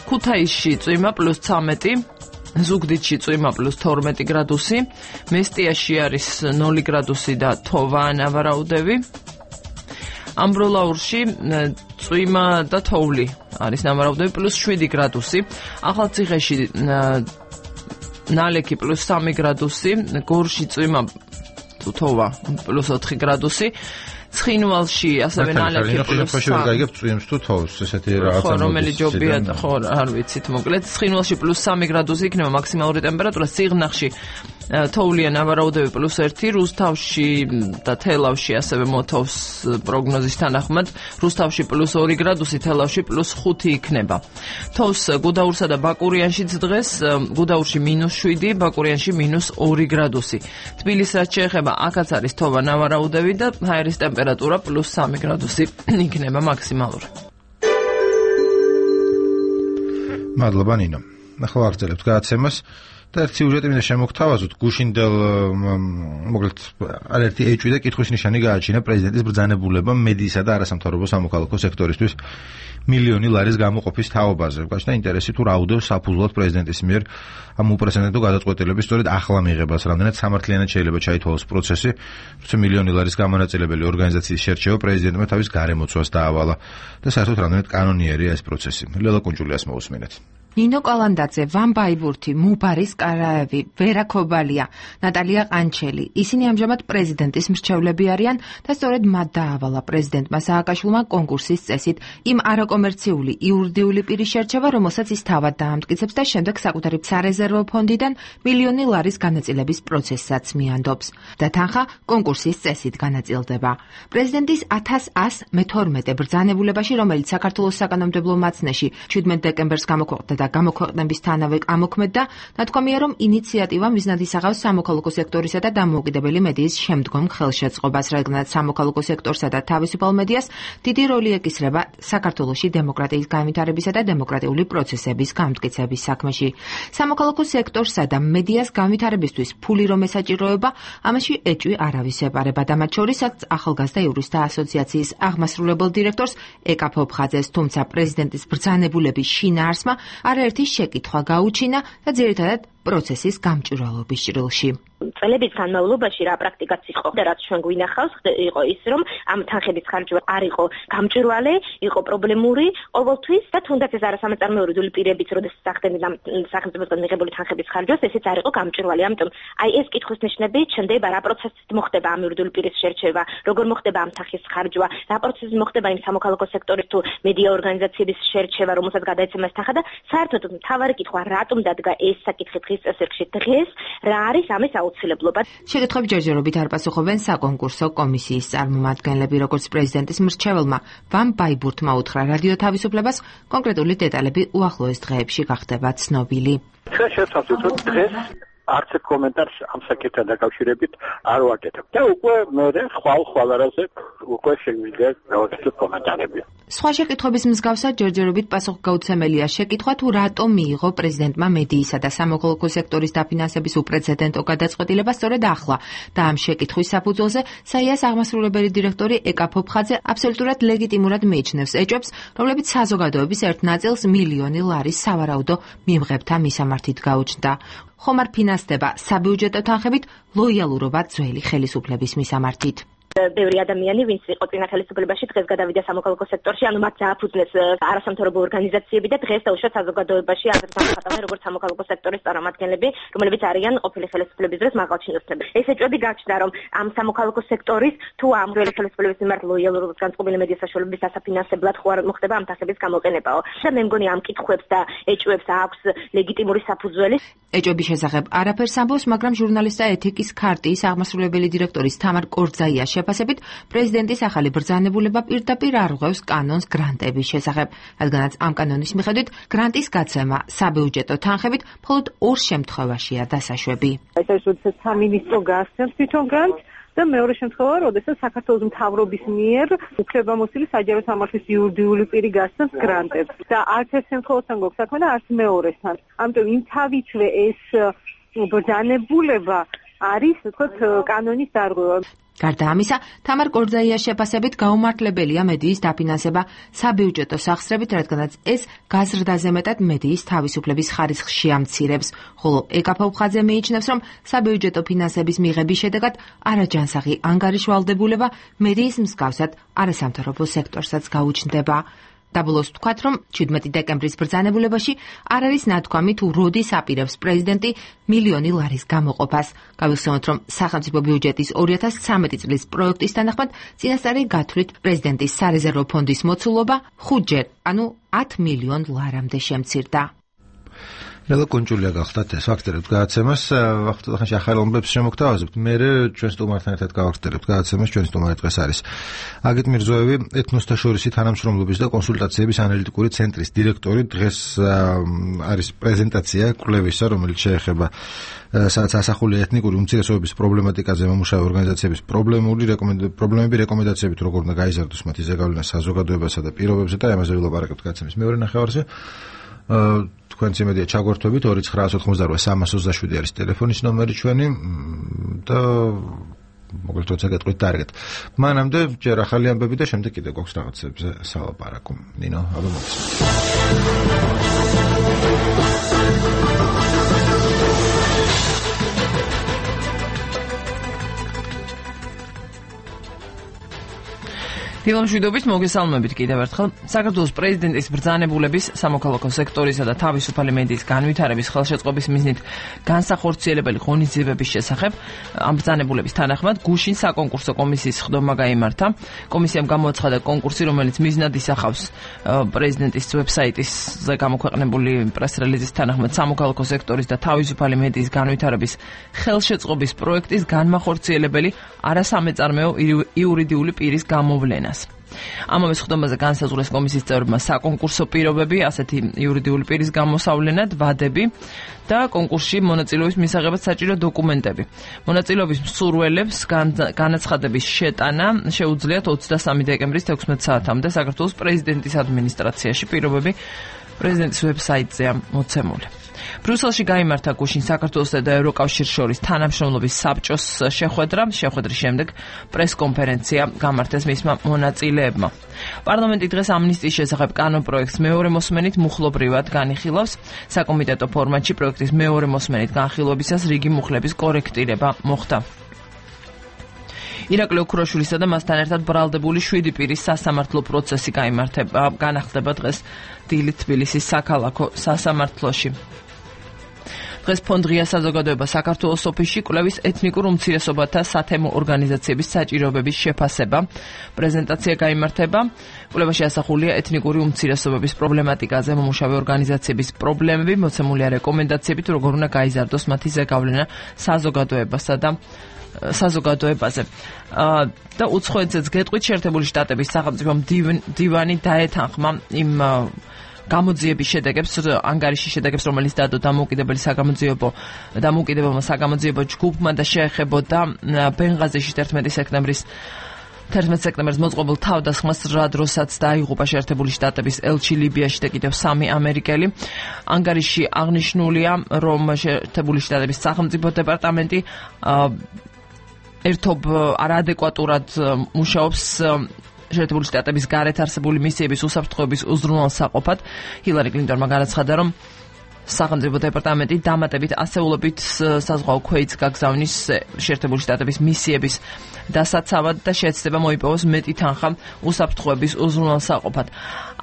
ქუთაისში წვიმა +13, ზუგდიდში წვიმა +12 გრადუსი, მესტიაში არის 0 გრადუსი და თოვა ნავარაუდები. ამბროლაურში წვიმა და თოვლი არის ნავარაუდები +7 გრადუსი. ახალციხეში ნალექი +3 გრადუსი, გორში წვიმა თოვა +4 გრადუსი. ცხინვალში ასევე ნალექი
+3. გაიგებ წვიმს თუ თოვს, ესეთი რაღაცა.
ხო, რომელი ჯობია, ხო, არ ვიცით, მოკლედ ცხინვალში +3 გრადუსი იქნება მაქსიმალური ტემპერატურა, სიღნაღში თოვლიან ნავარაუდები +1, რუსთავში და თელავში ასევე მოთოვს პროგნოზის თანახმად, რუსთავში +2 გრადუსი, თელავში +5 იქნება. თოვს გუდაურსა და ბაკურიანშიც დღეს, გუდაურში -7, ბაკურიანში -2 გრადუსი. თბილისს რაც შეეხება, აქაც არის თოვა ნავარაუდები და ჰაერის ტემპერატურა +3 გრადუსი იქნება მაქსიმალური.
მადლობა ნინო. ახლა ვაგრძელებთ გადაცემას. და ერთ სიუჟეტი მინდა შემოგთავაზოთ, გუშინდელ მოკლედ არაერთი ეჭვი და კითხვის ნიშანი გააჩინა პრეზიდენტის ბრძანებულებამ მედიისა და არასამთავრობო სამოქალაქო სექტორისთვის მილიონი ლარის გამოყოფის თაობაზე. გაჩნდა ინტერესი თუ რა უდევს საფუძვლად პრეზიდენტის მიერ ამ უპრეცედენტო გადაწყვეტილების სწორედ ახლა მიღებას, რამდენად სამართლიანად შეიძლება ჩაითვალოს პროცესი, თუმცა მილიონი ლარის გამონაწილებელი ორგანიზაციის შერჩევა პრეზიდენტმა თავის გარემოცვას დაავალა და საერთოდ რამდენად კანონიერია ეს პროცესი. ლელა კუნჭულიას მოусმინეთ.
ნინო კალანდაძე, ვან ბაიბურთი, მუბარის კარაევი, ვერა ქობალია, ნატალია ყანჩელი. ისინი ამჟამად პრეზიდენტის მრჩევლები არიან და სწორედ მათ დაავალა პრეზიდენტმა სააკაშვილმა კონკურსის წესით იმ არაკომერციული იურიდიული პირის შერჩევა, რომელსაც ის თავად დაამტკიცებს და შემდეგ საკუთარი სარეზერვო ფონდიდან მილიონი ლარის განაწილების პროცესსაც მიანდობს. და თანხა კონკურსის წესით განაწილდება. პრეზიდენტის 1112 ბრძანებულებაში, რომელიც საქართველოს საკანონმდებლო მაცნეში 17 დეკემბერს გამოქვეყნდა და გამოქვეყნებისთანავე ამოქმედდა, ნათქვამია, რომ ინიციატივა მიზნად ისახავს სამოქალაქო სექტორისა და დამოუკიდებელი მედიის შემდგომ ხელშეწყობას, რადგანაც სამოქალაქო სექტორსა და თავისუფალ მედიას დიდი როლი ეკისრება საქართველოში დემოკრატიის განვითარებისა და დემოკრატიული პროცესების გამტკიცების საქმეში. სამოქალაქო სექტორსა და მედიას განვითარებისთვის ფული რომ ესაჭიროება, ამაში ეჭვი არავის ეპარება და მათ შორისაც ახალგაზრდა იურისტთა ასოციაციის აღმასრულებელ დირექტორს ეკა ფოფხაძეს, თუმცა პრეზიდენტის ბრძანებულების შინაარსმა არაერთი შეკითხვა გაუჩინა და ძირითადად პროცესის გამჭვირვალობის ჭრილში.
წლების განმავლობაში რა პრაქტიკაც იყო და რაც ჩვენ გვინახავს, იყო ის, რომ ამ თანხების ხარჯვა არ იყო გამჭვირვალე, იყო პრობლემური ყოველთვის და თუნდაც ეს არასამეწარმეო იურიდიული პირებიც, როდესაც ახდენენ ამ სახელმწიფოსგან მიღებული თანხების ხარჯვას, ესეც არ იყო გამჭვირვალე. ამიტომ აი ეს კითხვის ნიშნები ჩნდება, რა პროცესით მოხდება ამ იურიდიული პირის შერჩევა, როგორ მოხდება ამ თანხის ხარჯვა, რა პროცესით მოხდება იმ სამოქალაქო სექტორის თუ მედია ორგანიზაციების შერჩევა, რომელსაც გადაეცემა ეს თანხა და საერთოდ მთავარი კითხვა, რატომ დადგა ეს საკითხი დღის წესრიგში დღეს, რა არის ამის აუცილებლობა.
შეკითხვებს ჯერჯერობით არ პასუხობენ საკონკურსო კომისიის წარმომადგენლები, როგორც პრეზიდენტის მრჩეველმა ვან ბაიბურთმა უთხრა რადიო თავისუფლებას, კონკრეტული დეტალები უახლოეს დღეებში გახდება ცნობილი.
ჩვენ შევთავაზეთ, რომ დღეს არც ერთ კომენტარს ამ საკითხთან დაკავშირებით არ ვაკეთებ. და უკვე მე ხვალ არაზე უკვე შეგვიძლია გავაკეთოთ კომენტარები.
სხვა შეკითხვების მსგავსად ჯერჯერობით პასუხგაუცემელია შეკითხვა თუ რატომ მიიღო პრეზიდენტმა მედიისა და სამოქალაქო სექტორის დაფინანსების უპრეცედენტო გადაწყვეტილება სწორედ ახლა და ამ შეკითხვის საფუძველზე საიას აღმასრულებელი დირექტორი ეკა ფოფხაძე აბსოლუტურად ლეგიტიმურად მიიჩნევს ეჭვებს, რომლებიც საზოგადოების ერთ ნაწილს მილიონი ლარის სავარაუდო მიმღებთა მისამართით გაუჩნდა. ხომ არ ფინანსდება საბიუჯეტო თანხებით ლოიალურობა ძველი ხელისუფლების მისამართით.
ბევრი ადამიანი, ვინც იყო წინა ხელისუფლებაში, დღეს გადავიდა სამოქალაქო სექტორში, ანუ მათ დააფუძნეს არასამთავრობო ორგანიზაციები და დღეს დაუშვათ საზოგადოებაში აზრს ამოხატავენ როგორც სამოქალაქო სექტორის წარმომადგენლები, რომლებიც არიან ყოფილი ხელისუფლების დროს მაღალჩინოსნები. ეს ეჭვები გაჩნდა, რომ ამ სამოქალაქო სექტორის თუ ამ ძველი ხელისუფლების მიმართ ლოიალურობის განწყობილი მედია საშუალებების დასაფინანსებლად ხო არ მოხდება ამ თანხების გამოყენებაო. და მე მგონი ამ კითხვებს და ეჭვებს აქვს ლეგიტიმური საფუძველი.
ეჭვების შესახებ არაფერს ამბობს, მაგრამ ჟურნალისტთა ეთიკის ქარტიის აღმასრულებელი დირექტორის თამარ კორძაიას შეფასებით, პრეზიდენტის ახალი ბრძანებულება პირდაპირ არღვევს კანონს გრანტების შესახებ, რადგანაც ამ კანონის მიხედვით გრანტის გაცემა საბიუჯეტო თანხებით მხოლოდ ორ შემთხვევაშია დასაშვები.
ეს არის როდესაც სამინისტრო გასცემს თვითონ გრანტს და მეორე შემთხვევა, როდესაც საქართველოს მთავრობის მიერ უფლებამოსილი საჯარო სამართლის იურიდიული პირი გასცემს გრანტებს. და არც ეს შემთხვევასთან გვაქვს საქმე და არც მეორესთან. ამიტომ იმ თავითვე ეს ბრძანებულება არის, ვთქვათ, კანონის დარღვევა.
გარდა ამისა, თამარ კორძაიას შეფასებით გაუმართლებელია მედიის დაფინანსება საბიუჯეტო სახსრებით, რადგანაც ეს გაზრდაზე მეტად მედიის თავისუფლების ხარისხს შეამცირებს, ხოლო ეკა ფოფხაძე მიიჩნევს, რომ საბიუჯეტო ფინანსების მიღების შედეგად არაჯანსაღი ანგარიშვალდებულება მედიის მსგავსად არასამთავრობო სექტორსაც გაუჩნდება. დაბოლოს ვთქვათ, რომ 17 დეკემბრის ბრძანებულებაში არ არის ნათქვამი თუ როდის აპირებს პრეზიდენტი მილიონი ლარის გამოყოფას. გავიხსენოთ, რომ სახელმწიფო ბიუჯეტის 2013 წლის პროექტის თანახმად წინასწარი გათვლით პრეზიდენტის სარეზერვო ფონდის მოცულობა 5-ჯერ, ანუ 10 მილიონ ლარამდე შემცირდა.
ლელა კუნჭულია გახდათ ეს ვაქცერებთ გადაცემას, ახლა ახალ ომებს შემოგთავაზებთ. მე ჩვენ სტუმართან ერთად გავაქცერებთ გადაცემას, ჩვენი სტუმარი დღეს არის აგიტ მირზოევი, ეთნოსთა შორისი თანამშრომლობის და კონსულტაციების ანალიტიკური ცენტრის დირექტორი. დღეს არის პრეზენტაცია კვლევისა, რომელიც შეეხება სადაც ასახული ეთნიკური უმცირესობების პრობლემატიკაზე მომუშავე ორგანიზაციების პრობლემები, რეკომენდაციებით როგორ უნდა გაიზარდოს მათი ზეგავლენა საზოგადოებასა და პირობებზე და ამაზე ვილაპარაკებთ გადაცემის მეორე ნახევარზე. თქვენც იმედია ჩაგვერთვებით 2988327 არის ტელეფონის ნომერი ჩვენი და მოგეთ როცა გეტყვით დარგეთ. მანამდე ჯერ ახალი ამბები და შემდეგ კიდე გვაქვს რაღაცებზე სალაპარაკო. ნინო, აბა მოგესალმებით.
დილამშვიდობით მოგესალმებით კიდევ ერთხელ. საქართველოს პრეზიდენტის ბრძანებულების სამოქალაქო სექტორისა და თავისუფალი მედიის განვითარების ხელშეწყობის მიზნით განსახორციელებელი ღონისძიებების შესახებ ამ ბრძანებულების თანახმად გუშინ საკონკურსო კომისიის სხდომა გაიმართა. კომისიამ გამოაცხადა კონკურსი, რომელიც მიზნად ისახავს პრეზიდენტის ვებსაიტზე გამოქვეყნებული პრეს-რელიზის თანახმად სამოქალაქო სექტორის და თავისუფალი მედიის განვითარების ხელშეწყობის პროექტის განმახორციელებელი არასამეწარმეო იურიდიული პირის გამოვლენას. ამავე სხდომაზე განსაზღვრეს კომისიის წევრებმა საკონკურსო პირობები, ასეთი იურიდიული პირის გამოსავლენად, ვადები და კონკურსში მონაწილეობის მისაღებად საჭირო დოკუმენტები. მონაწილეობის მსურველებს განაცხადების შეტანა შეუძლიათ 23 დეკემბრის 16 საათამდე საქართველოს პრეზიდენტის ადმინისტრაციაში. პირობები პრეზიდენტის ვებსაიტზეა მოცემული. ბრიუსელში გაიმართა გუშინ საქართველოსა და ევროკავშირს შორის თანამშრომლობის საბჭოს შეხვედრის შემდეგ პრესკონფერენცია გამართეს მისმა მონაწილეებმა. პარლამენტი დღეს ამნისტიის შესახებ კანონპროექტს მეორე მოსმენით მუხლობრივად განიხილავს. საკომიტეტო ფორმატში პროექტის მეორე მოსმენით განხილვებისას რიგი მუხლების კორექტირება მოხდა. ირაკლი ოქროშვილისა და მასთან ერთად ბრალდებული 7 პირის სასამართლო პროცესი განახდება დღეს დილით თბილისის საქალაქო სასამართლოში. დღეს ფონდღია საზოგადოება საქართველოს ოფისში კვლევის ეთნიკურ უმცირესობათა სათემო ორგანიზაციების საჭიროებების შეფასება. პრეზენტაცია გაიმართება. კვლევაში ასახულია ეთნიკური უმცირესობების პრობლემატიკაზე მომუშავე ორგანიზაციების პრობლემები, მოცემულია რეკომენდაციები თუ როგორ უნდა გაიზარდოს მათი ზეგავლენა საზოგადოებაზე. და უცხოეთზეც გეტყვით, შეერთებული შტატების სახელმწიფო მდივანი დაეთანხმა იმ გამოძიების შედეგებს, ანგარიშის შედეგებს, რომელიც დადო დამოუკიდებელმა საგამოძიებო ჯგუფმა და შეეხებოდა ბენღაზიში 11 სექტემბერს მოწყობილ თავდასხმას, რა დროსაც დაიღუპა შეერთებული შტატების ელჩი ლიბიაში და კიდევ 3 ამერიკელი. ანგარიში აღნიშნულია, რომ შეერთებული შტატების სახელმწიფო დეპარტამენტი ერთობ არაადეკვატურად მუშაობს შეერთებული შტატების გარეთ არსებული მისიების უსაფრთხოების უზრუნველსაყოფად. ჰილარი კლინტონმა განაცხადა, რომ სახელმწიფო დეპარტამენტი დამატებით ასეულობით საზღვაო ქვეითს გაგზავნის შეერთებული შტატების მისიების დასაცავად და შეეცდება მოიპოვოს მეტი თანხა უსაფრთხოების უზრუნველსაყოფად.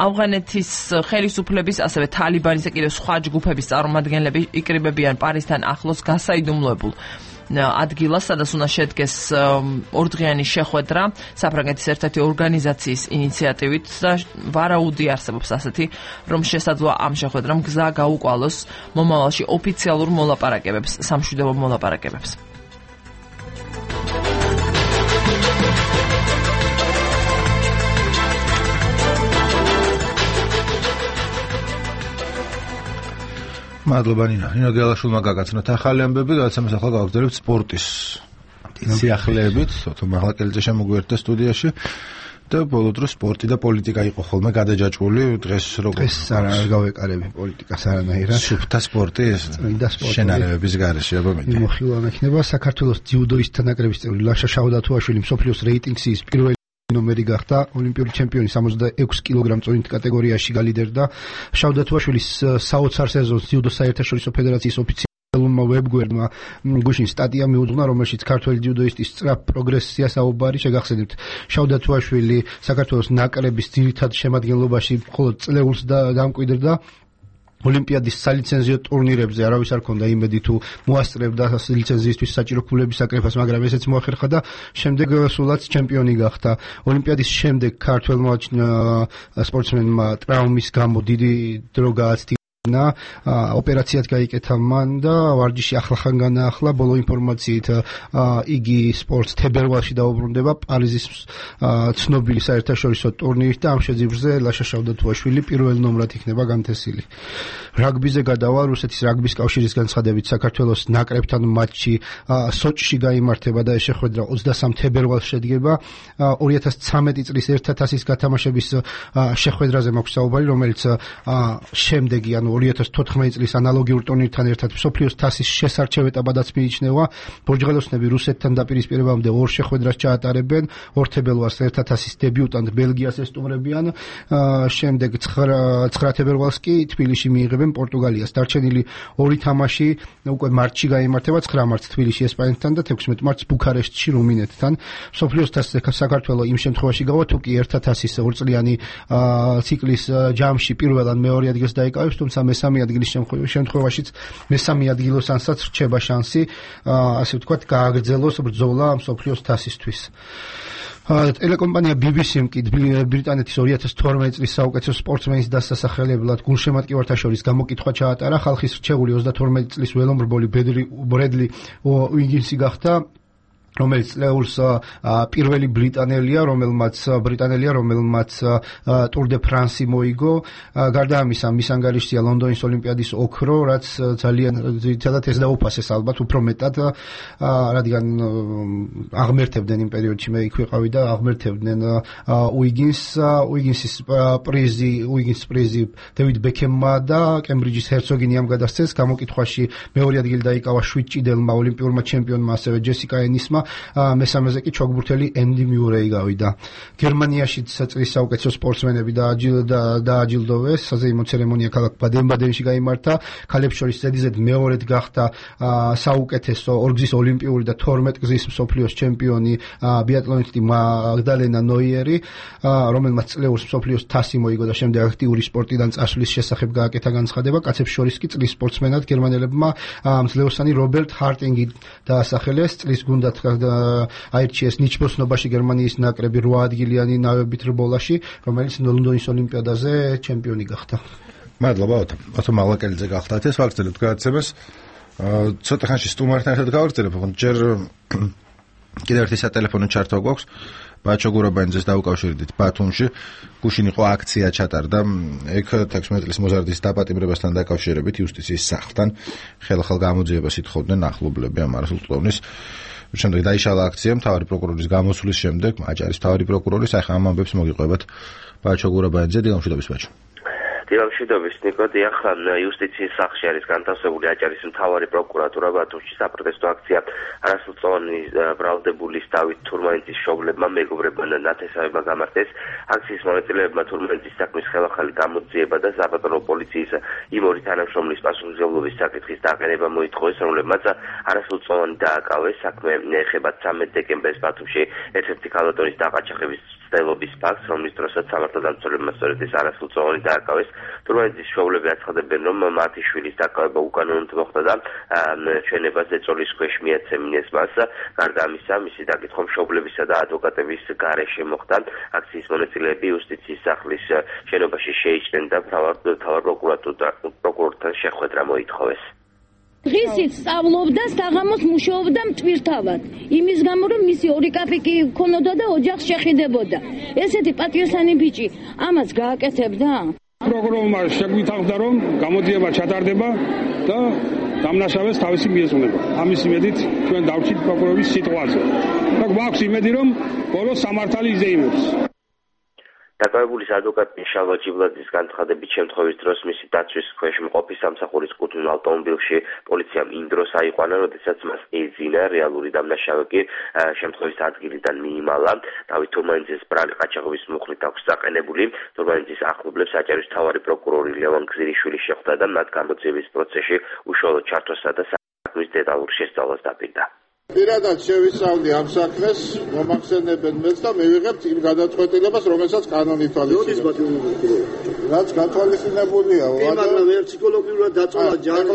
ავღანეთის ხელისუფლების, ასევე თალიბანის და კიდევ სხვა ჯგუფების წარმომადგენლები იკრიბებიან პარიზთან ახლოს გასაიდუმლოებულ ადგილას, სადაც უნდა შედგეს ორდღიანი შეხვედრა საფრანგეთის ერთ-ერთი ორგანიზაციის ინიციატივით და ვარაუდი არსებობს ასეთი, რომ შესაძლოა ამ შეხვედრამ გზა გაუკვალოს მომავალში ოფიციალურ მოლაპარაკებებს, სამშვიდობო მოლაპარაკებებს.
მადლობა ნინო. ნინო გელაშვილმა გაგაცნოთ ახალი ამბები, გადაცემას ახლა გავაგრძელებთ სპორტის სიახლეებით. თო მაღლაკელიძე შემოგვიერთდა სტუდიაში და ბოლო დროს სპორტი და პოლიტიკა იყო ხოლმე გადაჯაჭვული. დღეს როგორ?
დღეს არ გავეკარები პოლიტიკას არანაირად.
სუფთა სპორტი ეს შენარევების გარეშე, აბა მეტი.
მოხილვა იქნება საქართველოს ძიუდოისტთა ნაკრების წევრი ლაშა შაუდათუაშვილი მსოფლიოს რეიტინგის პირველი ნომერი გახდა. ოლიმპიური ჩემპიონი 66 კილოგრამ წონით კატეგორიაში გალიდერდა. შაუდათუაშვილის საოცარ სეზონს ძიუდო საერთაშორისო ფედერაციის ოფიციალურმა ვებგვერდმა გუშინ სტატია მიუძღვნა, რომელშიც ქართველი ძიუდოისტის სწრაფ პროგრესია საუბარი. შეგახსენებთ, შაუდათუაშვილი საქართველოს ნაკრების ძირითად შემადგენლობაში მხოლოდ წლეულს დამკვიდრდა. ოლიმპიადის სალიცენზიო ტურნირებზე არავის არ ქონდა იმედი თუ მოასწრებდა ლიცენზიისთვის საჭირო ფულების საკრეფას, მაგრამ ესეც მოახერხა და შემდეგ სულაც ჩემპიონი გახდა. ოლიმპიადის შემდეგ ქართველმა სპორტსმენმა ტრაუმის გამო დიდი დრო გააცდია. ოპერაციად გაიკეთა მან და ვარჯიში ახლახან განაახლა. ბოლო ინფორმაციით იგი სპორტს თებერვალში დაუბრუნდება პარიზის ცნობილი საერთაშორისო ტურნირით და ამ შეძიბრზე ლაშა შაუდათუაშვილი პირველ ნომრად იქნება განთესილი. რაგბიზე გადავა. რუსეთის რაგბის კავშირის განცხადებით საქართველოს ნაკრებთან მატჩი სოჭში გაიმართება და ეს შეხვედრა 23 თებერვალს შედგება. 2013 წლის 1000-ის გათამაშების შეხვედრაზე მაქვს საუბარი, რომელიც შემდეგი, ანუ 2014 წლის ანალოგიურ ტურნირთან ერთად მსოფლიოს თასის შესარჩევ ეტაპადაც მიიჩნევა. ბორჯღელოსნები რუსეთთან დაპირისპირებამდე ორ შეხვედრას ჩაატარებენ. ორთებერვალს ერთა თასის დებიუტანტ ბელგიას ესტუმრებიან. შემდეგ 9 თებერვალს კი თბილისში მიიღებენ პორტუგალიას. დარჩენილი ორი თამაში უკვე მარტში გაიმართება, 9 მარტს თბილისში ესპანეთთან და 16 მარტს ბუქარესტში რუმინეთთან. მსოფლიოს თასზე საქართველოს იმ შემთხვევაში გავა თუ კი ერთა თასის ორწლიანი ციკლის ჯამში პირველ ან მეორე ადგილს დაიკავებს, თუმცა მესამე ადგილის შემთხვევაშიც მესამე ადგილოსანსაც რჩება შანსი, ასე ვთქვათ, გააგრძელოს ბრძოლა მსოფლიოს თასისთვის. ტელეკომპანია BBC-მ კი ბრიტანეთის 2012 წლის საუკეთესო სპორტსმენის დასასახელებლად გულშემატკივართა შორის გამოკითხვა ჩაატარა. ხალხის რჩეული 32 წლის ველომრბოლი ბრედლი უიგინსი გახდა, რომელიც წლეულს პირველი ბრიტანელია, რომელმაც ტურ დე ფრანსი მოიგო. გარდა ამისა, მის ანგარიშია ლონდონის ოლიმპიადის ოქრო, რაც ძალიან ძირითადად ეს დაუფასეს ალბათ უფრო მეტად, რადგან აღმერთებდნენ იმ პერიოდში, მე იქ ვიყავი და აღმერთებდნენ უიგინსის პრიზი დევიდ ბეკემმა და კემბრიჯის ჰერცოგინი ამ გადასცეს. გამოკითხვაში მეორე ადგილი დაიკავა 7 ჭიდელმა ოლიმპიურმა ჩემპიონმა, ასევე ჯესიკა ენისმა. მესამეზე კი ჩოგბურთელი ენდი მიურეი გავიდა. გერმანიაში წლის საუკეთესო სპორტსმენები დააჯილდოვეს. საზეიმო ცერემონია ქალაქ ბადენ-ბადენში გაიმართა. ქალებს შორის ზედიზედ მეორედ გახდა საუკეთესო ორგზის ოლიმპიური და 12 გზის მსოფლიოს ჩემპიონი ბიატლონისტი მაგდალენა ნოიერი, რომელმაც წლეულს მსოფლიოს თასი მოიგო და შემდეგ აქტიური სპორტიდან წასვლის შესახებ გააკეთა განცხადება. კაცებს შორის კი წლის სპორტსმენად გერმანელებმა მძლეოსანი რობერტ ჰარტინგი დაასახელეს. წლის გუნდად აირჩიეს ნიჩბოსნობაში გერმანიის ნაკრები 8 ადგილიანი ნავებით რბოლაში, რომელიც ლონდონის ოლიმპიადაზე ჩემპიონი გახდა.
მადლობა ოთო მალაკელიძე გახდათ ეს ვაგრძელებთ გადაცემას. ცოტა ხანში სტუმართან ერთად გავაგრძელებ, ჯერ კიდევ ერთი სატელეფონო ჩართვა გვაქვს. ბაჩო გურაბანიძეს დაუკავშირდით ბათუმში. გუშინ იყო აქცია ჩატარდა ეგ 16 წლის მოზარდის დაპატიმრებასთან დაკავშირებით იუსტიციის სახლთან. ხელახალ გამოძიებას ითხოვდნენ ახლობლები ამ არასრულწლოვნის. შემდეგ დაიშალა აქცია მთავარი პროკურორის გამოსვლის შემდეგ, აჭარის მთავარი პროკურორის, ახლა ამ ამბებს მოგიყვებათ ბაჩო გურაბანიძე. დილამშვიდობის ბაჩო.
დილამშვიდობის ნიკოდი, ახლა იუსტიციის სახლში არის განთავსებული აჭარის მთავარი პროკურატურა ბათუმში. საპროტესტო აქცია არასრულწლოვანი ბრალდებულის დავით თურმანიძის მშობლებმა მეგობრებმა ნათესავება გამართეს. აქციის მონაწილეებმა თურმანიძის საქმის ხელახალი გამოძიება და საპატრულო პოლიციის იმ ორი თანამშრომლის პასუხისმგებლობის საკითხის დაყენება მოითხოვეს, რომლებმაც არასრულწლოვანი დააკავეს. საქმე ეხება 13 დეკემბერს ბათუმში ერთ-ერთი ქალბატონის დაყაჩაღების ცდილობის ფაქტს, რომლის დროსაც სამართალდამცველებმა სწორედ ეს არასრულწლოვანი დააკავეს. თურმანიძის მშობლები აცხადებენ, რომ მათი შვილის დაკავება უკანონოდ მოხდა და ჩვენებაზე წოლის ქვეშ მიაცემინეს მას. გარდა ამისა, მისი დაკითხვა მშობლებისა და ადვოკატების გარეშე მოხდა. აქციის მონაწილეები იუსტიციის სახლის შენობაში შეიჭრნენ და მთავარ პროკურორთან შეხვედრა მოითხოვეს.
დღისით სწავლობდა, საღამოს მუშაობდა მტვირთავად. იმის გამო, რომ მისი ორი კაფიკი ქონოდა და ოჯახს შეხიდებოდა. ესეთი პატიოსანი ბიჭი ამას გააკეთებდა?
პროკურორმა შეგვითავდა, რომ გამოძიება ჩატარდება და დამნაშავეს თავისი მიეძღვნება. ამის იმედით ჩვენ დავჭით პროკურორის სიტყვაზე. და გვაქვს იმედი, რომ ბოლოს სამართალი იზეიმებს.
დაკავებულის ადვოკატი შალვა ჯიბლაძის განცხადებით, შემთხვევის დროს მისი დაცვის ქვეშ მყოფი სამსახურის კუთვნილ ავტომობილში პოლიციამ იმ დროს აიყვანა, როდესაც მას ეძინა. რეალური დამნაშავე კი შემთხვევის ადგილიდან მიიმალა. დავით თურმანიძეს ბრალი ყაჩაღების მუხლით აქვს დაყენებული. თურმანიძის ახლობლებს აჭარის მთავარი პროკურორი ლევან გზირიშვილი შეხვდა და მათ გამოძიების პროცესში უშუალოდ ჩართვასა და საქმის დეტალურ შესწავლას დაპირდა.
პირადად შევისწავლდი ამ საქმეს, მომახსენებენ მეც და მივიღებთ იმ გადაწყვეტილებას, რომელსაც კანონი ითვალისწინებს. რაც გათვალისწინებულია,
მაგრამ ვერ ფსიქოლოგიურად დაწოლა ჯარი.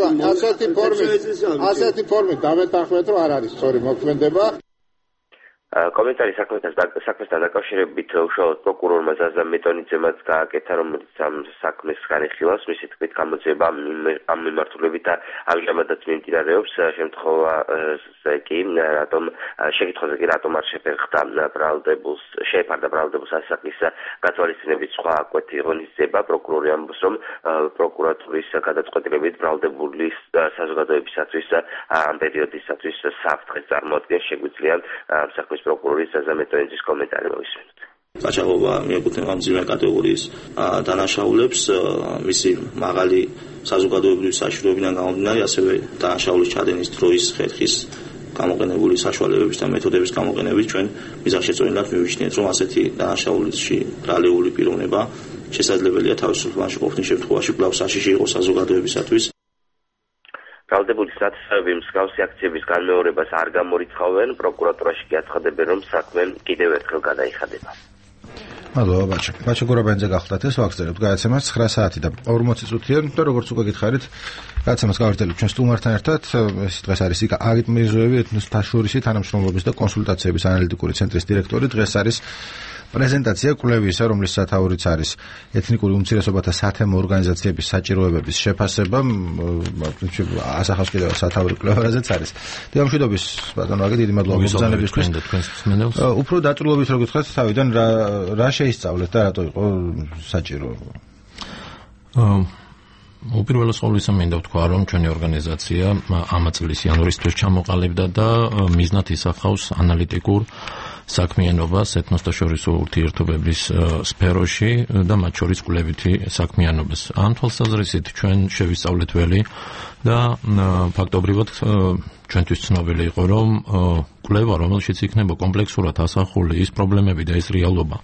ასეთი ფორმით დამეთანხმეთ, რომ არ არის სწორი მოქმედება.
კომენტარი საქმესთან დაკავშირებით უშუალოდ პროკურორმა ზაზა მეტონიძემაც გააკეთა, რომელიც ამ საქმეს განიხილავს. მისი თქმით, გამოძიება ამ მიმართულებით ამჟამადაც მიმდინარეობს. შეკითხვაზე კი რატომ არ შეეფარდა ბრალდებულს ასაკის გათვალისწინებით სხვა კვეთი ღონისძიება. პროკურორი ამბობს, რომ პროკურატურის გადაწყვეტილებით ბრალდებულის საზოგადოებისათვის ამ პერიოდისათვის საფრთხეს წარმოადგენს. შეგვიძლია ამ საქმის პროკურორის ზაზა მეტონიძის კომენტარი მოვისმენთ.
გაჭაღობა მიეკუთვნება მძიმე კატეგორიის დანაშაულებს, მისი მაღალი საზოგადოებრივი საშუალებიდან გამომდინარე, ასევე დანაშაულის ჩადენის დროის ხერხის გამოყენებული საშუალებების და მეთოდების გამოყენებით ჩვენ მიზანშეწონილად მივიჩნიეთ, რომ ასეთი დანაშაულში ბრალეული პიროვნება შესაძლებელია თავისუფლობაში ყოფნის შემთხვევაში კვლავ საშიში იყოს საზოგადოებისათვის.
ბრალდებული სათესავები მსგავსი აქციების განმეორებას არ გამორიცხავენ, პროკურატურაში კი აცხადებენ, რომ საქმე კიდევ ერთხელ გადაიხადება.
მადლობა ბაჩა გორაბანიძე გახლდათ ეს ვაგზალებთ გადაცემას 9 საათი და 40 წუთია და როგორც უკვე გითხარით გადაცემას გავერთელებ ჩვენ სტუმართან ერთად ეს დღეს არის აგიტ მირზოევი ეთნოსთაშორისი თანამშრომლობის და კონსულტაციების ანალიტიკური ცენტრის დირექტორი დღეს არის პრეზენტაცია კვლევისა, რომლის სათაურიც არის ეთნიკური უმცირესობათა სათემო ორგანიზაციების საჭიროებების შეფასება, ასახავს კიდევ სათაური კვლევა, რაზეც არის. დიამშვიდობის ბატონო აგე, დიდი მადლობა მოგზაურობისთვის. უფრო დაწვრილებით რო გითხრათ, თავიდან რა შეისწავლეთ და რატო იყო საჭირო?
უპირველეს ყოვლისა მინდა ვთქვა, რომ ჩვენი ორგანიზაცია ამ წლის იანვრისთვის ჩამოყალიბდა და მიზნად ისახავს ანალიტიკურ საქმიანობას ეთნოსთაშორისო ურთიერთობების სფეროში და მათ შორის კვლევითი საქმიანობას. ამ თვალსაზრისით ჩვენ შევისწავლეთ ველი და ფაქტობრივად ჩვენთვის ცნობილი იყო, რომ კვლევა, რომელშიც იქნება კომპლექსურად ასახული ის პრობლემები და ის რეალობა,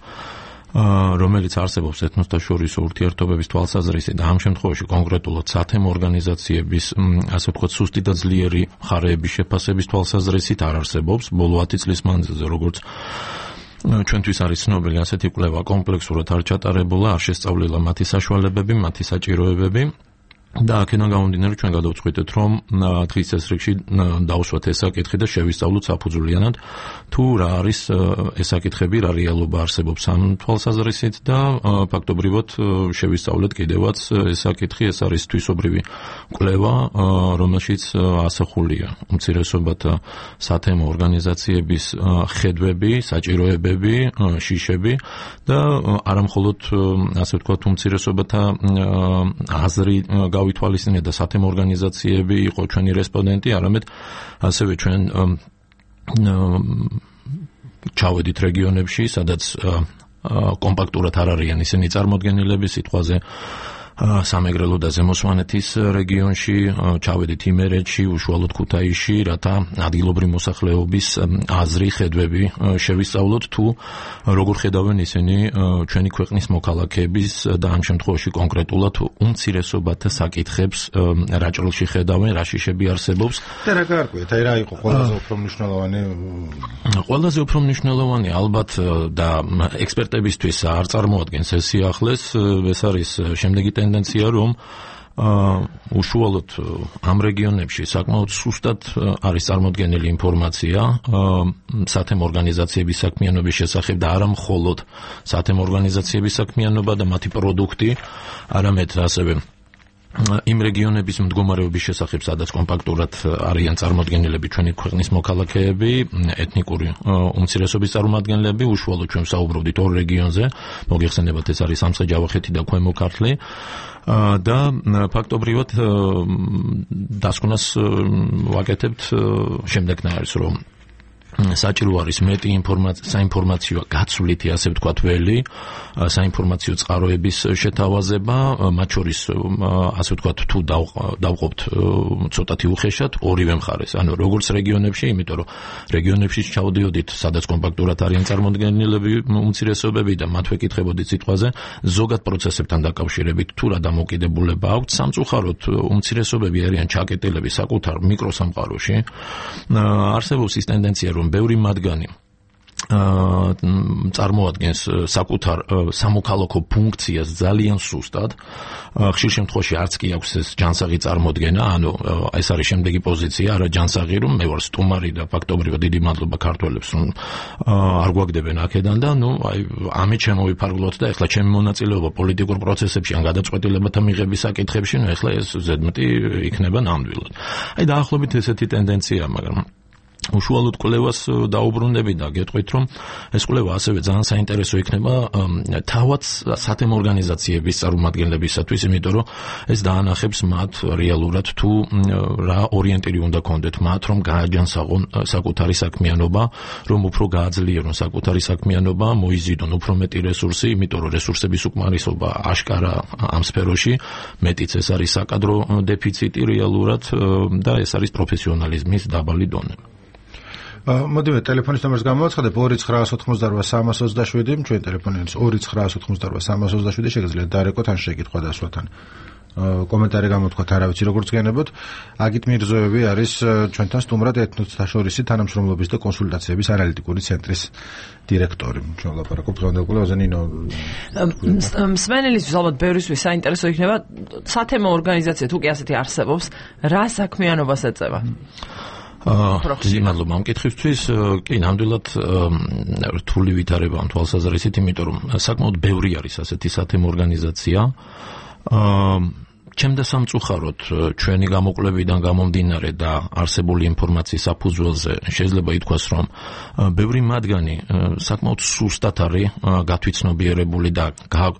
რომელიც არსებობს ეთნოსთაშორისო ურთიერთობების თვალსაზრისით და ამ შემთხვევაში კონკრეტულად სათემო ორგანიზაციების, ასე ვთქვათ, სუსტი და ძლიერი მხარეების შეფასების თვალსაზრისით არ არსებობს. ბოლო 10 წლის მანძილზე, როგორც ჩვენთვის არის ცნობილი, ასეთი კვლევა კომპლექსურად არ ჩატარებულა, არ შესწავლილა მათი საშუალებები, მათი საჭიროებები. და აქედან გამომდინარე ჩვენ გადავწყვიტეთ, რომ დღის წესრიგში დავუსვათ ეს საკითხი და შევისწავლოთ საფუძვლიანად თუ რა არის ეს საკითხები, რა რეალობა არსებობს ამ თვალსაზრისით და ფაქტობრივად შევისწავლეთ კიდევაც ეს საკითხი, ეს არის თვისობრივი კვლევა, რომელშიც ასახულია უმცირესობათა სათემო ორგანიზაციების ხედვები, საჭიროებები, შიშები და არა მხოლოდ ასე ვთქვათ უმცირესობათა აზრი გავითვალისწინეთ და სათემო ორგანიზაციები იყო ჩვენი რესპონდენტი, არამედ ასევე ჩვენ ჩავედით რეგიონებში, სადაც კომპაქტურად არ არიან ისინი წარმოდგენილები, სიტყვაზე სამეგრელო და ზემოსვანეთის რეგიონში, ჩავედით იმერეთში, უშუალოდ ქუთაისში, რათა ადგილობრივი მოსახლეობის აზრი, ხედვები შევისწავლოთ თუ როგორ ხედავენ ისინი ჩვენი ქვეყნის მოქალაქეების და ამ შემთხვევაში კონკრეტულად უმცირესობათა საკითხებს რა ჭრილში ხედავენ, რა შიშები არსებობს.
და რა გაარკვიეთ, აი რა იყო ყველაზე უფრო მნიშვნელოვანი?
ყველაზე უფრო მნიშვნელოვანი ალბათ და ექსპერტებისთვის არ წარმოადგენს ეს სიახლეს, ეს არის შემდეგი ტენდენცია, რომ უშუალოდ ამ რეგიონებში საკმაოდ სუსტად არის წარმოდგენილი ინფორმაცია სათემო ორგანიზაციების საქმიანობის შესახებ და არა მხოლოდ სათემო ორგანიზაციების საქმიანობა და მათი პროდუქტი, არამედ ასევე იმ რეგიონების მდგომარეობის შესახებ, სადაც კომპაქტურად არიან წარმოდგენილები ჩვენი ქვეყნის მოქალაქეები, ეთნიკური უმცირესობის წარმომადგენლები, უშუალოდ ჩვენ ვსაუბრობდით ორ რეგიონზე, მოგეხსენებათ ეს არის სამცხე-ჯავახეთი და ქვემო ქართლი და ფაქტობრივად დასკვნას ვაკეთებთ შემდეგნაირს, რომ საჭირო არის მეტი საინფორმაციო გაცვლითი, ასე ვთქვათ, ველი, საინფორმაციო წყაროების შეთავაზება, მათ შორის, ასე ვთქვათ, თუ დავყოფთ ცოტათი უხეშად ორივე მხარეს, ანუ როგორც რეგიონებში, იმიტომ რომ რეგიონებში ჩავდიოდით, სადაც კომპაქტურად არიან წარმოდგენილები უმცირესობები და მათ ვეკითხებოდით სიტყვაზე, ზოგად პროცესებთან დაკავშირებით თუ რა დამოკიდებულება აქვთ, სამწუხაროდ უმცირესობები არიან ჩაკეტილები საკუთარ მიკროსამყაროში. არსებობს ის ტენდენცია, რომ ბევრი მათგანი წარმოადგენს საკუთარ სამოქალაქო ფუნქციას ძალიან სუსტად. ხშირ შემთხვევაში არც კი აქვს ეს ჯანსაღი წარმოდგენა, ანუ ეს არის შემდეგი პოზიცია, არა ჯანსაღი, რომ მე ვარ სტუმარი და ფაქტობრივად დიდი მადლობა ქართველებს, რომ არ გვაგდებენ აქედან და ამით შემოვიფარგლოთ და ეხლა ჩემი მონაწილეობა პოლიტიკურ პროცესებში ან გადაწყვეტილებათა მიღების საკითხებში, ეხლა ეს ზედმეტი იქნება ნამდვილად. დაახლოებით ესეთი ტენდენცია, მაგრამ უშუალოდ კვლევას დაუბრუნდები და გეტყვით, რომ ეს კვლევა ასევე ძალიან საინტერესო იქნება თავად სათემო ორგანიზაციების წარმომადგენლებისათვის, იმიტომ რომ ეს დაანახებს მათ რეალურად თუ რა ორიენტირი უნდა კონდეთ მათ, რომ გააჯანსაღონ საკუთარი საქმიანობა, რომ უფრო გააძლიერონ საკუთარი საქმიანობა, მოიზიდონ უფრო მეტი რესურსი, იმიტომ რომ რესურსების უკმარისობა აშკარა ამ სფეროში, მეტიც ეს არის საკადრო დეფიციტი რეალურად და ეს არის პროფესიონალიზმის დაბალი დონე.
მოდივე ტელეფონის ნომერს გამოვაცხადებ 2988327 ჩვენ ტელეფონი არის 2988327 შეგიძლიათ დარეკოთ ან შეკითხვა დასვათ ან კომენტარი გამოთქვათ არა ვიცი როგორც გენებოთ აგით მირზოევი არის ჩვენთან სტუმრად ეთნოსთაშორისი თანამშრომლობის და კონსულტაციების ანალიტიკური ცენტრის დირექტორი ჩვენ ვლაპარაკობთ დღევანდელ კვლევაზე ნინო
მსმენელისთვის ალბათ ბევრისთვის საინტერესო იქნება სათემო ორგანიზაცია თუ კი ასეთი არსებობს რა საქმიანობას ეწევა
დიდი მადლობა ამ კითხვისთვის. კი, ნამდვილად რთული ვითარება ამ თვალსაზრისით, იმიტომ რომ საკმაოდ ბევრი არის ასეთი სათემო ორგანიზაცია. ჩემ და სამწუხაროდ ჩვენი გამოკვლევიდან გამომდინარე და არსებული ინფორმაციის საფუძველზე შეიძლება ითქვას, რომ ბევრი მათგანი საკმაოდ სუსტად არის გათვითცნობიერებული და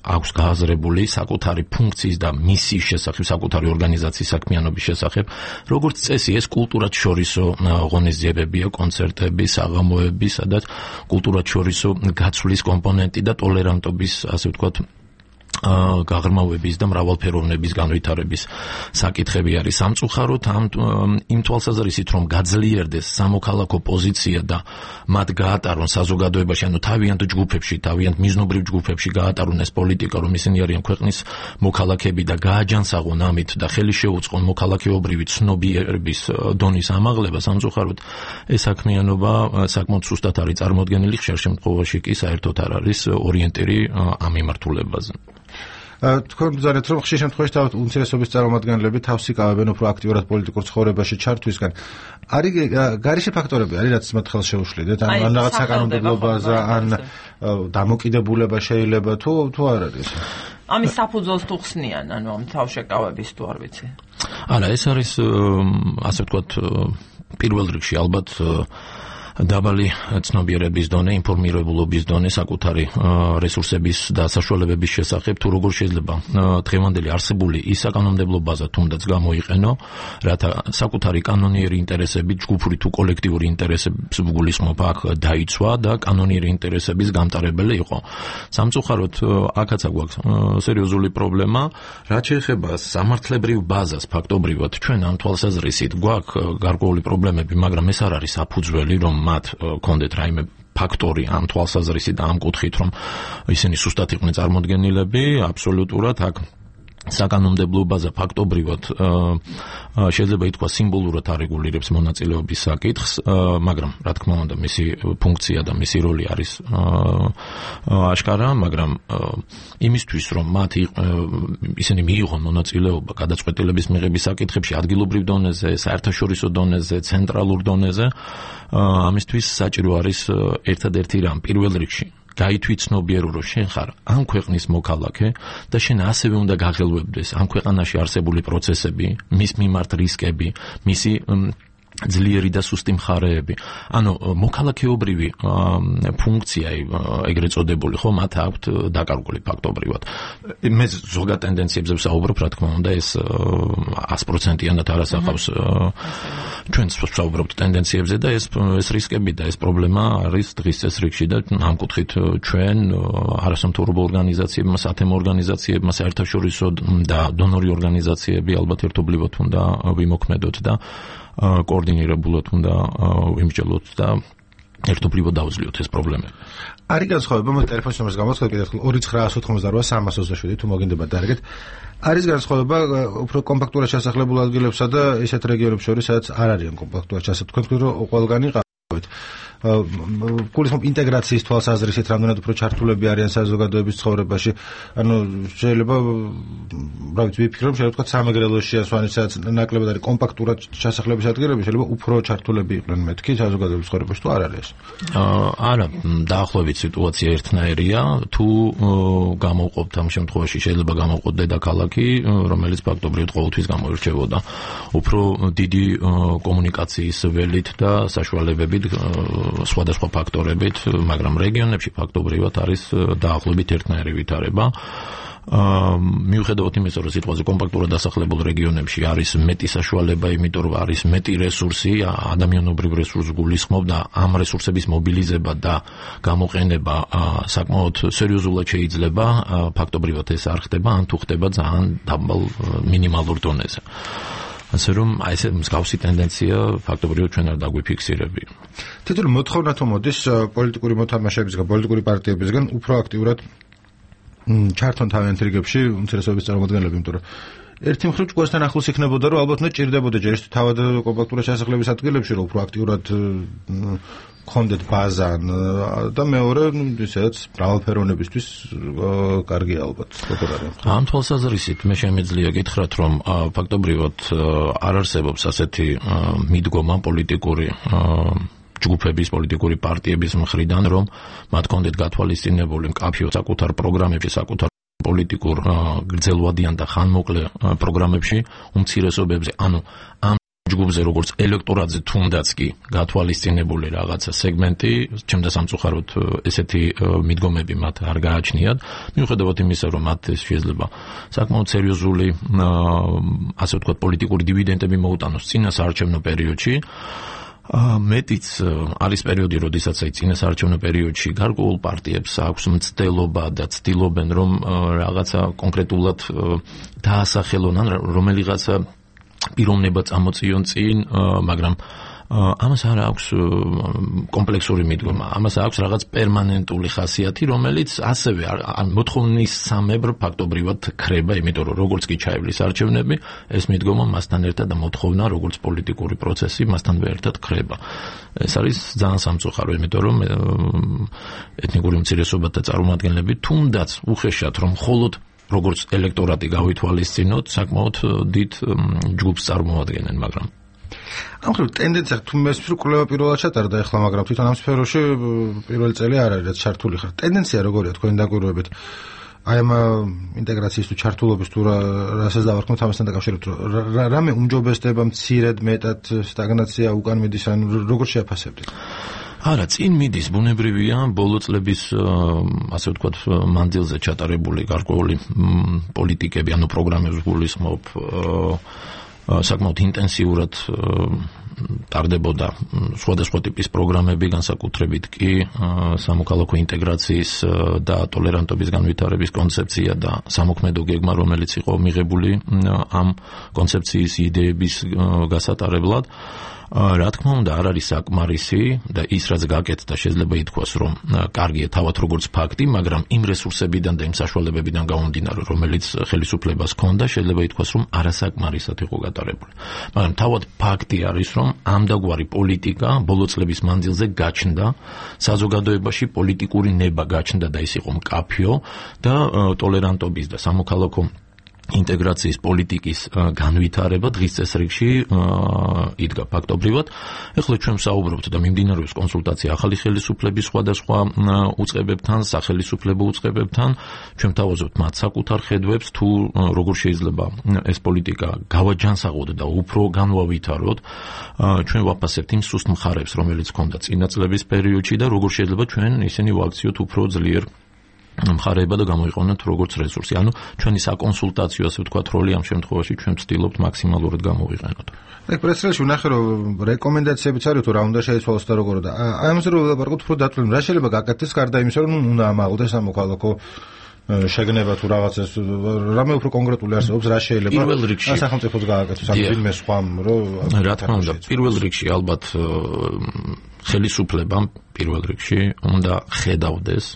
აქვს გააზრებული საკუთარი ფუნქციის და მისიის შესახებ, საკუთარი ორგანიზაციის საქმიანობის შესახებ. როგორც წესი, ეს კულტურად შორისო ღონისძიებებია, კონცერტები, საღამოები, სადაც კულტურად შორისო გაცვლის კომპონენტი და ტოლერანტობის, ასე ვთქვათ, გაღრმავების და მრავალფეროვნების განვითარების საკითხები არის. სამწუხაროდ იმ თვალსაზრისით, რომ გაძლიერდეს სამოქალაქო პოზიცია და მათ გაატარონ საზოგადოებაში, ანუ თავიანთ ჯგუფებში, თავიანთ მიზნობრივ ჯგუფებში გაატარონ ეს პოლიტიკა, რომ ისინი არიან ქვეყნის მოქალაქეები და გააჯანსაღონ ამით და ხელი შეუწყონ მოქალაქეობრივი ცნობიერების დონის ამაღლება, სამწუხაროდ ეს საქმიანობა საკმაოდ სუსტად არის წარმოდგენილი, ხშირ შემთხვევაში კი საერთოდ არ არის ორიენტირი ამ მიმართულებაზე.
თქვენ ბრძანეთ, რომ ხშირ შემთხვევაში თავად უმცირესობის წარმომადგენლები თავს იკავებენ უფრო აქტიურად პოლიტიკურ ცხოვრებაში ჩართვისგან. არის გარეშე ფაქტორები, არის რაც მათ ხელს შეუშლიდეთ, ან რაღაც საკანონმდებლობაზე, ან დამოკიდებულება შეიძლება თუ არ არის.
ამის საფუძველს თუ ხსნიან, ანუ ამ თავშეკავების თუ არ ვიცი.
არა, ეს არის ასე ვთქვათ, პირველ რიგში ალბათ დაბალი ცნობიერების დონე, ინფორმირებულობის დონე საკუთარი რესურსების და საშუალებების შესახებ, თუ როგორ შეიძლება დღევანდელი არსებული ის საკანონმდებლო ბაზა თუნდაც გამოიყენო, რათა საკუთარი კანონიერი ინტერესები, ჯგუფური თუ კოლექტიური ინტერესების გულისხმობა აქ დაიცვა და კანონიერი ინტერესების გამტარებელი იყო. სამწუხაროდ აქაც გვაქვს სერიოზული პრობლემა, რაც შეეხება სამართლებრივ ბაზას ფაქტობრივად ჩვენ ამ თვალსაზრისით გვაქვს გარკვეული პრობლემები, მაგრამ ეს არ არის საფუძველი, რომ მათ კონდეთ რაიმე ფაქტორი ამ თვალსაზრისით და ამ კუთხით, რომ ისინი სუსტად იყვნენ წარმოდგენილები, აბსოლუტურად აქ საკანონმდებლო ბაზა ფაქტობრივად შეიძლება ითქვას სიმბოლურად არეგულირებს მონაწილეობის საკითხს, მაგრამ რა თქმა უნდა მისი ფუნქცია და მისი როლი არის აშკარა, მაგრამ იმისთვის რომ მათ ისინი მიიღონ მონაწილეობა გადაწყვეტილების მიღების საკითხებში ადგილობრივ დონეზე, საერთაშორისო დონეზე, ცენტრალურ დონეზე, ამისთვის საჭირო არის ერთადერთი რამ პირველ რიგში გაითვითცნობიერო, რომ შენ ხარ ამ ქვეყნის მოქალაქე და შენ ასევე უნდა გაღელვებდეს ამ ქვეყანაში არსებული პროცესები, მის მიმართ რისკები, მისი ძლიერი და სუსტი მხარეები. ანუ მოქალაქეობრივი ფუნქცია ეგრეთ წოდებული, ხო, მათ აქვთ დაკარგული ფაქტობრივად. მე ზოგად ტენდენციებზე ვსაუბრობ, რა თქმა უნდა, ეს 100%-იანად არ ასახავს ჩვენც ვსაუბრობთ ტენდენციებზე და ეს რისკები და ეს პრობლემა არის დღის წესრიგში და ამ კუთხით ჩვენ არასამთავრობო ორგანიზაციებმა, სათემო ორგანიზაციებმა, საერთაშორისო და დონორი ორგანიზაციები ალბათ ერთობლივად უნდა ვიმოქმედოთ და კოორდინირებულად უნდა ვიმსჯელოთ და ერთობლივად დავძლიოთ ეს პრობლემები.
არის განსხვავება, მე ტელეფონის ნომერს გამოვაცხადებ კიდევ 2988327 თუ მოგინდებათ დარეკეთ. არის განსხვავება უფრო კომპაქტურად შესახლებულ ადგილებსა და ისეთ რეგიონებს შორის, სადაც არ არიან კომპაქტურად შესაძლებელი. თქვენ თქვით, რომ ყველგანი ყავით. გულისხმობ ინტეგრაციის თვალსაზრისით რამდენად უფრო ჩართულები არიან საზოგადოების ცხოვრებაში. ანუ შეიძლება რა ვიცი ვიფიქრობ შეიძლება თქვა სამეგრელოშია სვანიცაც ნაკლებად არის კომპაქტურად ჩასახლების ადგილები შეიძლება უფრო ჩართულები იყვნენ მეთქი საზოგადოების ცხოვრებაში თუ არ არის ეს?
არა, დაახლოებით სიტუაცია ერთნაირია. თუ გამოვყოფთ ამ შემთხვევაში შეიძლება გამოვყოთ დედაქალაქი, რომელიც ფაქტობრივად ყოველთვის გამოირჩევოდა უფრო დიდი კომუნიკაციის ველით და საშუალებებით სხვადასხვა ფაქტორებით, მაგრამ რეგიონებში ფაქტობრივად არის დაახლოებით ერთნაირი ვითარება. მიუხედავად იმისა, რომ სიტყვაზე კომპაქტურად დასახლებულ რეგიონებში არის მეტი საშუალება, იმიტომ რომ არის მეტი რესურსი, ადამიანობრივ რესურსს გულისხმობ და ამ რესურსების მობილიზება და გამოყენება საკმაოდ სერიოზულად შეიძლება, ფაქტობრივად ეს არ ხდება, ან თუ ხდება ძალიან დაბალ მინიმალურ დონეზე. ასე რომ აი ეს მსგავსი ტენდენცია ფაქტობრივად ჩვენ არ დაგვიფიქსირები.
თითოეული მოთხოვნა თუ მოდის პოლიტიკური მოთამაშეებისგან, პოლიტიკური პარტიებისგან უფრო აქტიურად ჩართონ თავიანთ რიგებში უმცირესობის წარმომადგენლები, იმიტომ რომ ერთი მხრივ ჯგუფთან ახლოს იქნებოდა, რომ ალბათ უნდა ჭირდებოდა ჯერ ის თავად კომპაქტურად ჩასახლების ადგილებში, რომ უფრო აქტიურად გქონდეთ ბაზა და მეორე ისედაც მრავალფეროვნებისთვის კარგია ალბათ.
ამ თვალსაზრისით მე შემიძლია გითხრათ, რომ ფაქტობრივად არ არსებობს ასეთი მიდგომა პოლიტიკური ჯგუფების, პოლიტიკური პარტიების მხრიდან, რომ მათ კონდეთ გათვალისწინებული მკაფიო საკუთარ პროგრამებში, საკუთარ პოლიტიკურ გრძელვადიან და ხანმოკლე პროგრამებში უმცირესობებზე, ანუ ამ ჯგუფზე როგორც ელექტორატზე თუნდაც კი გათვალისწინებული რაღაცა სეგმენტი, ჩემდა სამწუხაროდ ესეთი მიდგომები მათ არ გააჩნიათ, მიუხედავად იმისა, რომ მათ შეიძლება საკმაოდ სერიოზული ასე ვთქვათ პოლიტიკური დივიდენდები მოუტანოს წინა საარჩევნო პერიოდში. მეტიც არის პერიოდი, როდესაც აი წინა საარჩევნო პერიოდში გარკვეულ პარტიებს აქვს მცდელობა და ცდილობენ, რომ რაღაცა კონკრეტულად დაასახელონ ან რომელიღაცა პიროვნება წამოწიონ წინ, მაგრამ ამას არ აქვს კომპლექსური მიდგომა, ამას აქვს რაღაც პერმანენტული ხასიათი, რომელიც ასევე მოთხოვნის სამებრ ფაქტობრივად ხრება, იმიტომ რომ როგორც კი ჩაივლის არჩევნები, ეს მიდგომა მასთან ერთად და მოთხოვნა, როგორც პოლიტიკური პროცესი, მასთანვე ერთად ხრება. ეს არის ძალიან სამწუხარო, იმიტომ რომ ეთნიკური უმცირესობათა წარმომადგენლები თუნდაც უხეშად რომ მხოლოდ როგორც ელექტორატი გავითვალისწინოთ, საკმაოდ დიდ ჯგუფს წარმოადგენენ, მაგრამ
ამ ხრივ ტენდენცია თუ მე სპეციფიკურად პირველად ჩატარდა ახლა, მაგრამ თვითონ ამ სფეროში პირველი წელი არ არის, რაც ჩართული ხარ. ტენდენცია როგორია თქვენ დაკვირვებით? აი ამ ინტეგრაციის თუ ჩართულობის თუ რასაც დავარქმევთ ამასთან დაკავშირებით, რამე უმჯობესდება მცირედ, მეტად სტაგნაცია უკან მიდის, ან როგორ შეაფასებთ?
არა, წინ მიდის, ბუნებრივია, ბოლო წლების ასე ვთქვათ მანძილზე ჩატარებული გარკვეული პოლიტიკები, ანუ პროგრამებს გულისხმობ საკმაოდ ინტენსიურად ტარდებოდა სხვადასხვა ტიპის პროგრამები, განსაკუთრებით კი სამოქალაქო ინტეგრაციის და ტოლერანტობის განვითარების კონცეფცია და სამოქმედო გეგმა, რომელიც იყო მიღებული ამ კონცეფციის იდეების გასატარებლად. რა თქმა უნდა, არ არის საკმარისი და ის რაც გაკეთდა შეიძლება ითქვას, რომ კარგია თავად როგორც ფაქტი, მაგრამ იმ რესურსებიდან და იმ საშუალებებიდან გამომდინარე, რომელიც ხელისუფლებას ჰქონდა, შეიძლება ითქვას, რომ არასაკმარისად იყო გატარებული. მაგრამ თავად ფაქტი არის, რომ ამდაგვარი პოლიტიკა ბოლო წლების მანძილზე გაჩნდა, საზოგადოებაში პოლიტიკური ნება გაჩნდა და ის იყო მკაფიო და ტოლერანტობის და სამოქალაქო ინტეგრაციის პოლიტიკის განვითარება დღის წესრიგში იდგა ფაქტობრივად. ეხლა ჩვენ ვსაუბრობთ და მიმდინარეობს კონსულტაცია ახალი ხელისუფლების სხვადასხვა უწყებებთან, სახელისუფლებო უწყებებთან. ჩვენ თავაზობთ მათ საკუთარ ხედვებს, თუ როგორ შეიძლება ეს პოლიტიკა გავაჯანსაღოთ და უფრო განვავითაროთ. ჩვენ ვაფასებთ იმ სუსტ მხარებს, რომელიც ჰქონდა წინა წლების პერიოდში და როგორ შეიძლება ჩვენ ისინი ვაქციოთ უფრო ძლიერ მხარეება და გამოიყენოთ როგორც რესურსი. ანუ ჩვენი საკონსულტაციო, ასე ვთქვათ, როლი ამ შემთხვევაში ჩვენ ვცდილობთ მაქსიმალურად გამოვიყენოთ.
აი, პრესრელში ვნახე, რომ რეკომენდაციებიც არის, თუ რა უნდა შეიცვალოს და როგორ და აი ამაზე რომ ვილაპარაკოთ, უფრო დათვლილ, რა შეიძლება გაკეთდეს გარდა იმისა, რომ უნდა ამაღლდეს სამოქალაქო შეგნება თუ რაღაცას, რამე უფრო კონკრეტული არსებობს, რა შეიძლება
პირველ რიგში
სახელმწიფოს გააკეთოს, ამ ვინმე სხვამ, რომ
რა თქმა უნდა, პირველ რიგში ალბათ ხელისუფლებამ პირველ რიგში უნდა ხედავდეს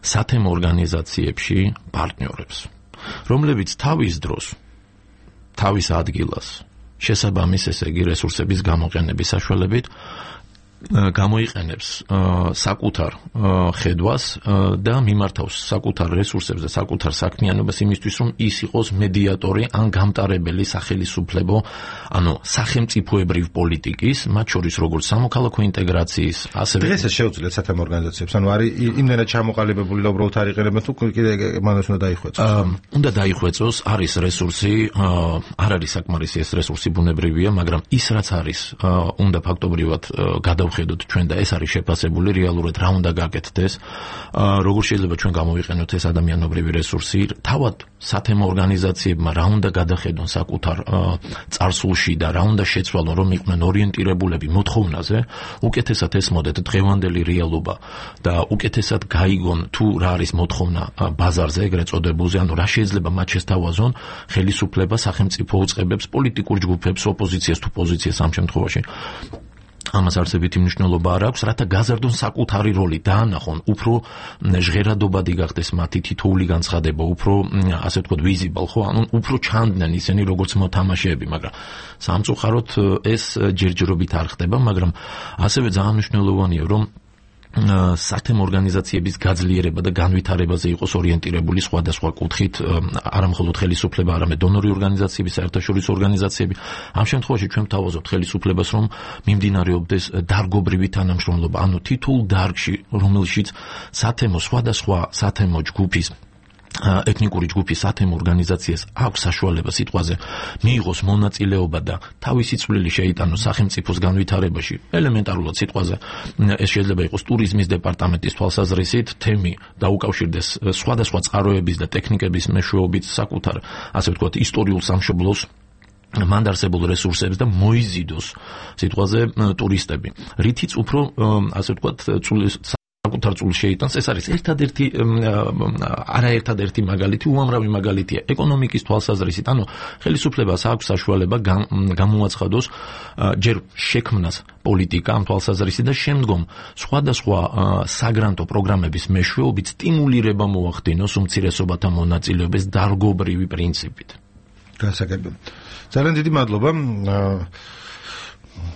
სათემო ორგანიზაციებში პარტნიორებს, რომლებიც თავის დროს, თავის ადგილას შესაბამის, ესე იგი, რესურსების გამოყენების საშუალებით გამოიყენებს საკუთარ ხედვას და მიმართავს საკუთარ რესურსებს და საკუთარ საქმიანობას იმისთვის, რომ ის იყოს მედიატორი ან გამტარებელი სახელისუფლებო, ანუ სახელმწიფოებრივ პოლიტიკის, მათ შორის როგორც სამოქალაქო ინტეგრაციის, ასევე
დღეს ეს შეუძლიათ სათემო ორგანიზაციებს, ანუ არის იმდენად ჩამოყალიბებული და უბრალოდ არ იყენებენ, თუ კიდე მანას უნდა დაიხვეწოს.
უნდა დაიხვეწოს, არის რესურსი, არ არის საკმარისი ეს რესურსი ბუნებრივია, მაგრამ ის რაც არის, უნდა ფაქტობრივად გადავხედოთ ჩვენ და ეს არის შეფასებული რეალურად რა უნდა გაკეთდეს, როგორ შეიძლება ჩვენ გამოვიყენოთ ეს ადამიანობრივი რესურსი, თავად სათემო ორგანიზაციებმა რა უნდა გადახედონ საკუთარ წარსულში და რა უნდა შეცვალონ, რომ იყვნენ ორიენტირებულები მოთხოვნაზე, უკეთესად ესმოდეთ დღევანდელი რეალობა და უკეთესად გაიგონ თუ რა არის მოთხოვნა ბაზარზე, ეგრეთ წოდებულზე, ანუ რა შეიძლება მათ შესთავაზონ ხელისუფლება, სახელმწიფო უწყებებს, პოლიტიკურ ჯგუფებს, ოპოზიციას თუ პოზიციას ამ შემთხვევაში. ამას არსებითი მნიშვნელობა არ აქვს, რათა გაზარდონ საკუთარი როლი, დაანახონ, უფრო ჟღერადობადი გახდეს მათი თითოეული განცხადება, უფრო, ასე ვთქვათ, visible, ხო, ანუ უფრო ჩანდნენ ისინი, როგორც მოთამაშეები, მაგრამ სამწუხაროდ ეს ჯერჯერობით არ ხდება, მაგრამ ასევე ძალიან მნიშვნელოვანია, რომ სათემო ორგანიზაციების გაძლიერება და განვითარებაზე იყოს ორიენტირებული სხვადასხვა კუთხით, არა მხოლოდ ხელისუფლება, არამედ დონორი ორგანიზაციები, საერთაშორისო ორგანიზაციები. ამ შემთხვევაში ჩვენ ვთავაზობთ ხელისუფლებას, რომ მიმდინარეობდეს დარგობრივი თანამშრომლობა, ანუ თითოეულ დარგში, რომელშიც სათემო სხვადასხვა სათემო ჯგუფის ეთნიკური ჯგუფის სათემო ორგანიზაციას აქვს საშუალება სიტყვაზე მიიღოს მონაწილეობა და თავისი წვლილი შეიტანოს სახელმწიფოს განვითარებაში. ელემენტარულად სიტყვაზე ეს შეიძლება იყოს ტურიზმის დეპარტამენტის თვალსაზრისით, თემი დაუკავშირდეს სხვადასხვა წყაროების და ტექნიკების მეშვეობით საკუთარ, ასე ვთქვათ, ისტორიულ სამშობლოს მან არსებულ რესურსებს და მოიზიდოს სიტყვაზე ტურისტები. რითიც უფრო, ასე ვთქვათ, საკუთარ წულს შეიტანს, ეს არის არაერთადერთი მაგალითი, უამრავი მაგალითია ეკონომიკის თვალსაზრისით, ანუ ხელისუფლებას აქვს საშუალება გამოაცხადოს ჯერ შექმნას პოლიტიკა ამ თვალსაზრისით და შემდგომ სხვადასხვა საგრანტო პროგრამების მეშვეობით სტიმულირება მოახდინოს უმცირესობათა მონაწილეობის დარგობრივი პრინციპით.
გასაგებია. ძალიან დიდი მადლობა.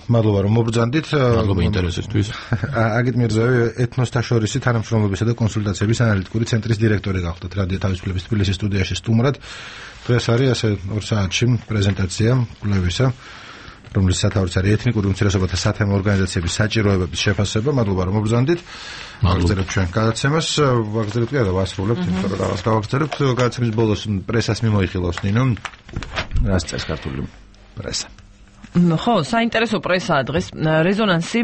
მადლობა რომ მობრძანდით.
მადლობა ინტერესისთვის.
აგით მირზაევი ეთნოსთაშორისი თანამშრომლობისა და კონსულტაციების ანალიტიკური ცენტრის დირექტორი გახდათ რადიო თავისუფლების თბილისის სტუდიაში სტუმრად. დღეს არის ასე 2 საათში პრეზენტაცია კვლევისა, რომლის სათავეც არის ეთნიკური უმცირესობათა სათემო ორგანიზაციების საჭიროებების შეფასება. მადლობა რომ მობრძანდით. ვაგრძელებთ ჩვენ გადაცემას, ვაგრძელებთ და ვასრულებთ, იმიტომ რომ რაღაც გავაგრძელებთ. გადაცემის ბოლოს პრესას მიმოიხილავს ნინო. რას წერს ქართული პრესა?
ხო, საინტერესო პრესაა დღეს. რეზონანსი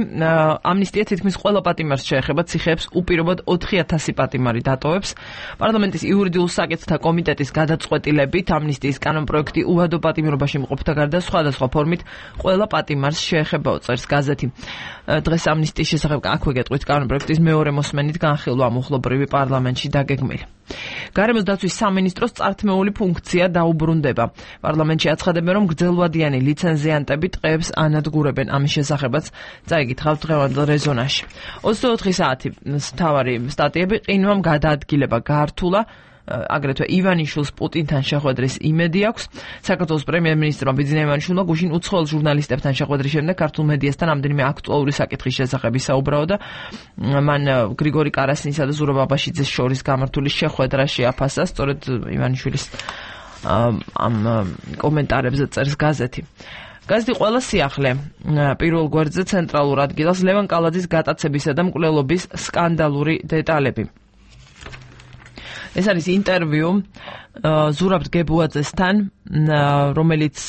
ამნისტია თითქმის ყველა პატიმარს შეეხება, ციხეებს უპირობოდ 4000 პატიმარი დატოვებს. პარლამენტის იურიდიულ საკითხთა კომიტეტის გადაწყვეტილებით ამნისტიის კანონპროექტი უადო პატიმრობაში მყოფთა გარდა სხვადასხვა ფორმით ყველა პატიმარს შეეხებაო, წერს გაზეთი. დღეს ამნისტიის შესახებ აქვე გეტყვით კანონპროექტის მეორე მოსმენით განხილვა მუხლობრივი პარლამენტში დაგეგმილი. გარემოს დაცვის სამინისტროს წართმეული ფუნქცია დაუბრუნდება. პარლამენტში აცხადებენ, რომ გრძელვადიანი ლიცენზიანტები ტყეებს ანადგურებენ. ამის შესახებაც წაიგითხავთ დღევანდელ რეზონანსში. 24 საათი მთავარი სტატიები ყინვამ გადაადგილება გართულა. აგრეთვე ივანიშვილს პუტინთან შეხვედრის იმედი აქვს. საქართველოს პრემიერ-მინისტრმა ბიძინა ივანიშვილმა გუშინ უცხოელ ჟურნალისტებთან შეხვედრის შემდეგ ქართულ მედიასთან ამდენიმე აქტუალური საკითხის შესახებ ისაუბრაო და მან გრიგორი კარასინისა და ზურაბ აბაშიძეს შორის გამართული შეხვედრა შეაფასა. სწორედ ივანიშვილის ამ კომენტარებზე წერს გაზეთი. გაზეთი ყველა სიახლე პირველ გვერდზე ცენტრალურ ადგილას ლევან კალაძის გატაცებისა და მკვლელობის სკანდალური დეტალები. ეს არის ინტერვიუ ზურაბ გებუაძესთან, რომელიც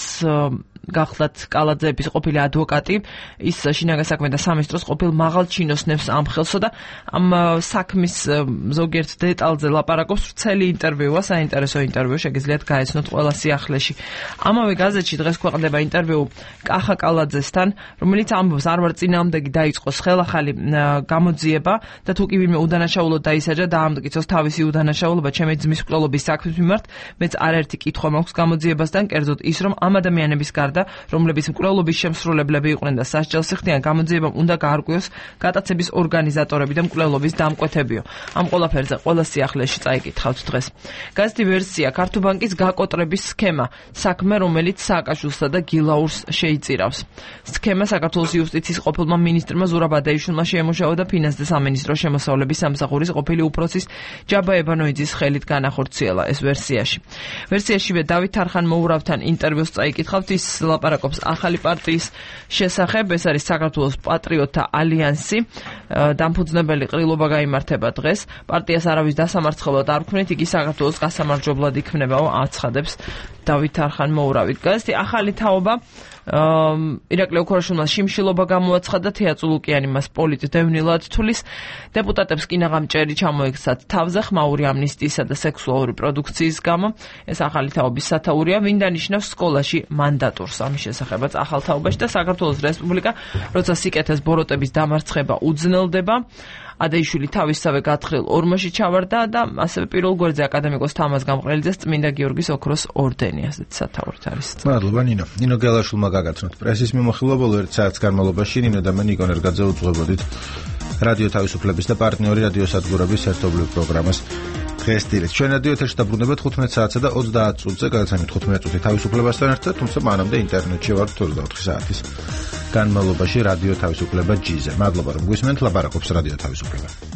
გახლდათ კალაძეების ყოფილი ადვოკატი, ის შინაგან საქმეთა სამინისტროს ყოფილ მაღალ ჩინოსნებს ამხელსო და ამ საქმის ზოგიერთ დეტალზე ლაპარაკობს. ვრცელი ინტერვიუა, საინტერესო ინტერვიუ, შეგიძლიათ გაეცნოთ ყველა სიახლეში. ამავე გაზეთში დღეს ქვეყნდება ინტერვიუ კახა კალაძესთან, რომელიც ამბობს, არ ვარ წინააღმდეგი, დაიწყოს ხელახალი გამოძიება და თუ კი ვინმე უდანაშაულოდ დაისაჯა, დაამტკიცოს თავისი უდანაშაულობა ჩემი ძმის მკვლელობის საქმის მიმართ, მეც არაერთი კითხვა მაქვს გამოძიებასთან, კერძოდ ის, რომ ამ ადამიანების გარდა ემყარდა, რომლებიც მკვლელობის შემსრულებლები იყვნენ და სასჯელს იხდიან, გამოძიებამ უნდა გაარკვიოს გატაცების ორგანიზატორები და მკვლელობის დამკვეთებიო. ამ ყველაფერზე ყველა სიახლეში წაიკითხავთ დღეს. გაზეთი ვერსია ქართუბანკის გაკოტრების სქემა, საქმე, რომელიც სააკაშვილსა და გილაურს შეიწირავს. სქემა საქართველოს იუსტიციის ყოფილმა მინისტრმა ზურაბ ადაიშვილმა შეემუშავა და ფინანსთა სამინისტროს შემოსავლების სამსახურის ყოფილი უფროსის ჯაბა ებანოიძის ხელით განახორციელა ეს ვერსიაში. ვერსიაშივე დავით თარხან-მოურავთან ინტერვიუს წაიკითხავთ, ის ლაპარაკობს ახალი პარტიის შესახებ, ეს არის საქართველოს პატრიოტთა ალიანსი. დამფუძნებელი ყრილობა გაიმართება დღეს. პარტიას არავის დასამარცხებლად არ ვქმნით, იგი საქართველოს გასამარჯვებლად იქმნებაო, აცხადებს დავით თარხან-მოურავი. გაზეთი ახალი თაობა ირაკლი ოქროშვილმა შიმშილობა გამოაცხადა, თეატრო ლუკიანი მას პოლიტდევნილად თulis. დეპუტატებს კინაღამჭერი ჩამოექცათ თავზე ხმაური ამნისტიისა და სექსუალური პროდუქციის გამო. ეს ახალი თაობის სათაურია, ვინ დანიშნავს სკოლაში მანდატურს ამის შესახებაც ახალ თაობაში და საქართველოს რესპუბლიკა, როცა სიკეთეს ბოროტების დამარცხება უძნელდება. ადაიშვილი თავისსავე გათხრილ ორმოში ჩავარდა და ასევე პირველ გვერდზე აკადემიკოს თამაზ გამყრელიძეს წმინდა გიორგის ოქროს ორდენი, ასეთ სათაურით არის.
მადლობა ნინო. ნინო გელაშვილმა გაგაცნოთ პრესის მიმოხილვა, ბოლო 1 საათის განმავლობაში ნინო და მე ნიკო ნერგაძე უძღვებოდით რადიო თავისუფლების და პარტნიორი რადიო სადგურების ერთობლივ პროგრამას დღესდღეობით. ჩვენ რადიო ეთერში დაბრუნებთ 15 საათსა და 30 წუთზე, გადაცემით 15 წუთი თავისუფლებასთან ერთად, თუმცა მანამდე ინტერნეტში ვართ 24 საათის განმავლობაში რადიო თავისუფლება G-ზე. მადლობა რომ გვისმენთ, ლაპარაკობს რადიო თავისუფლება.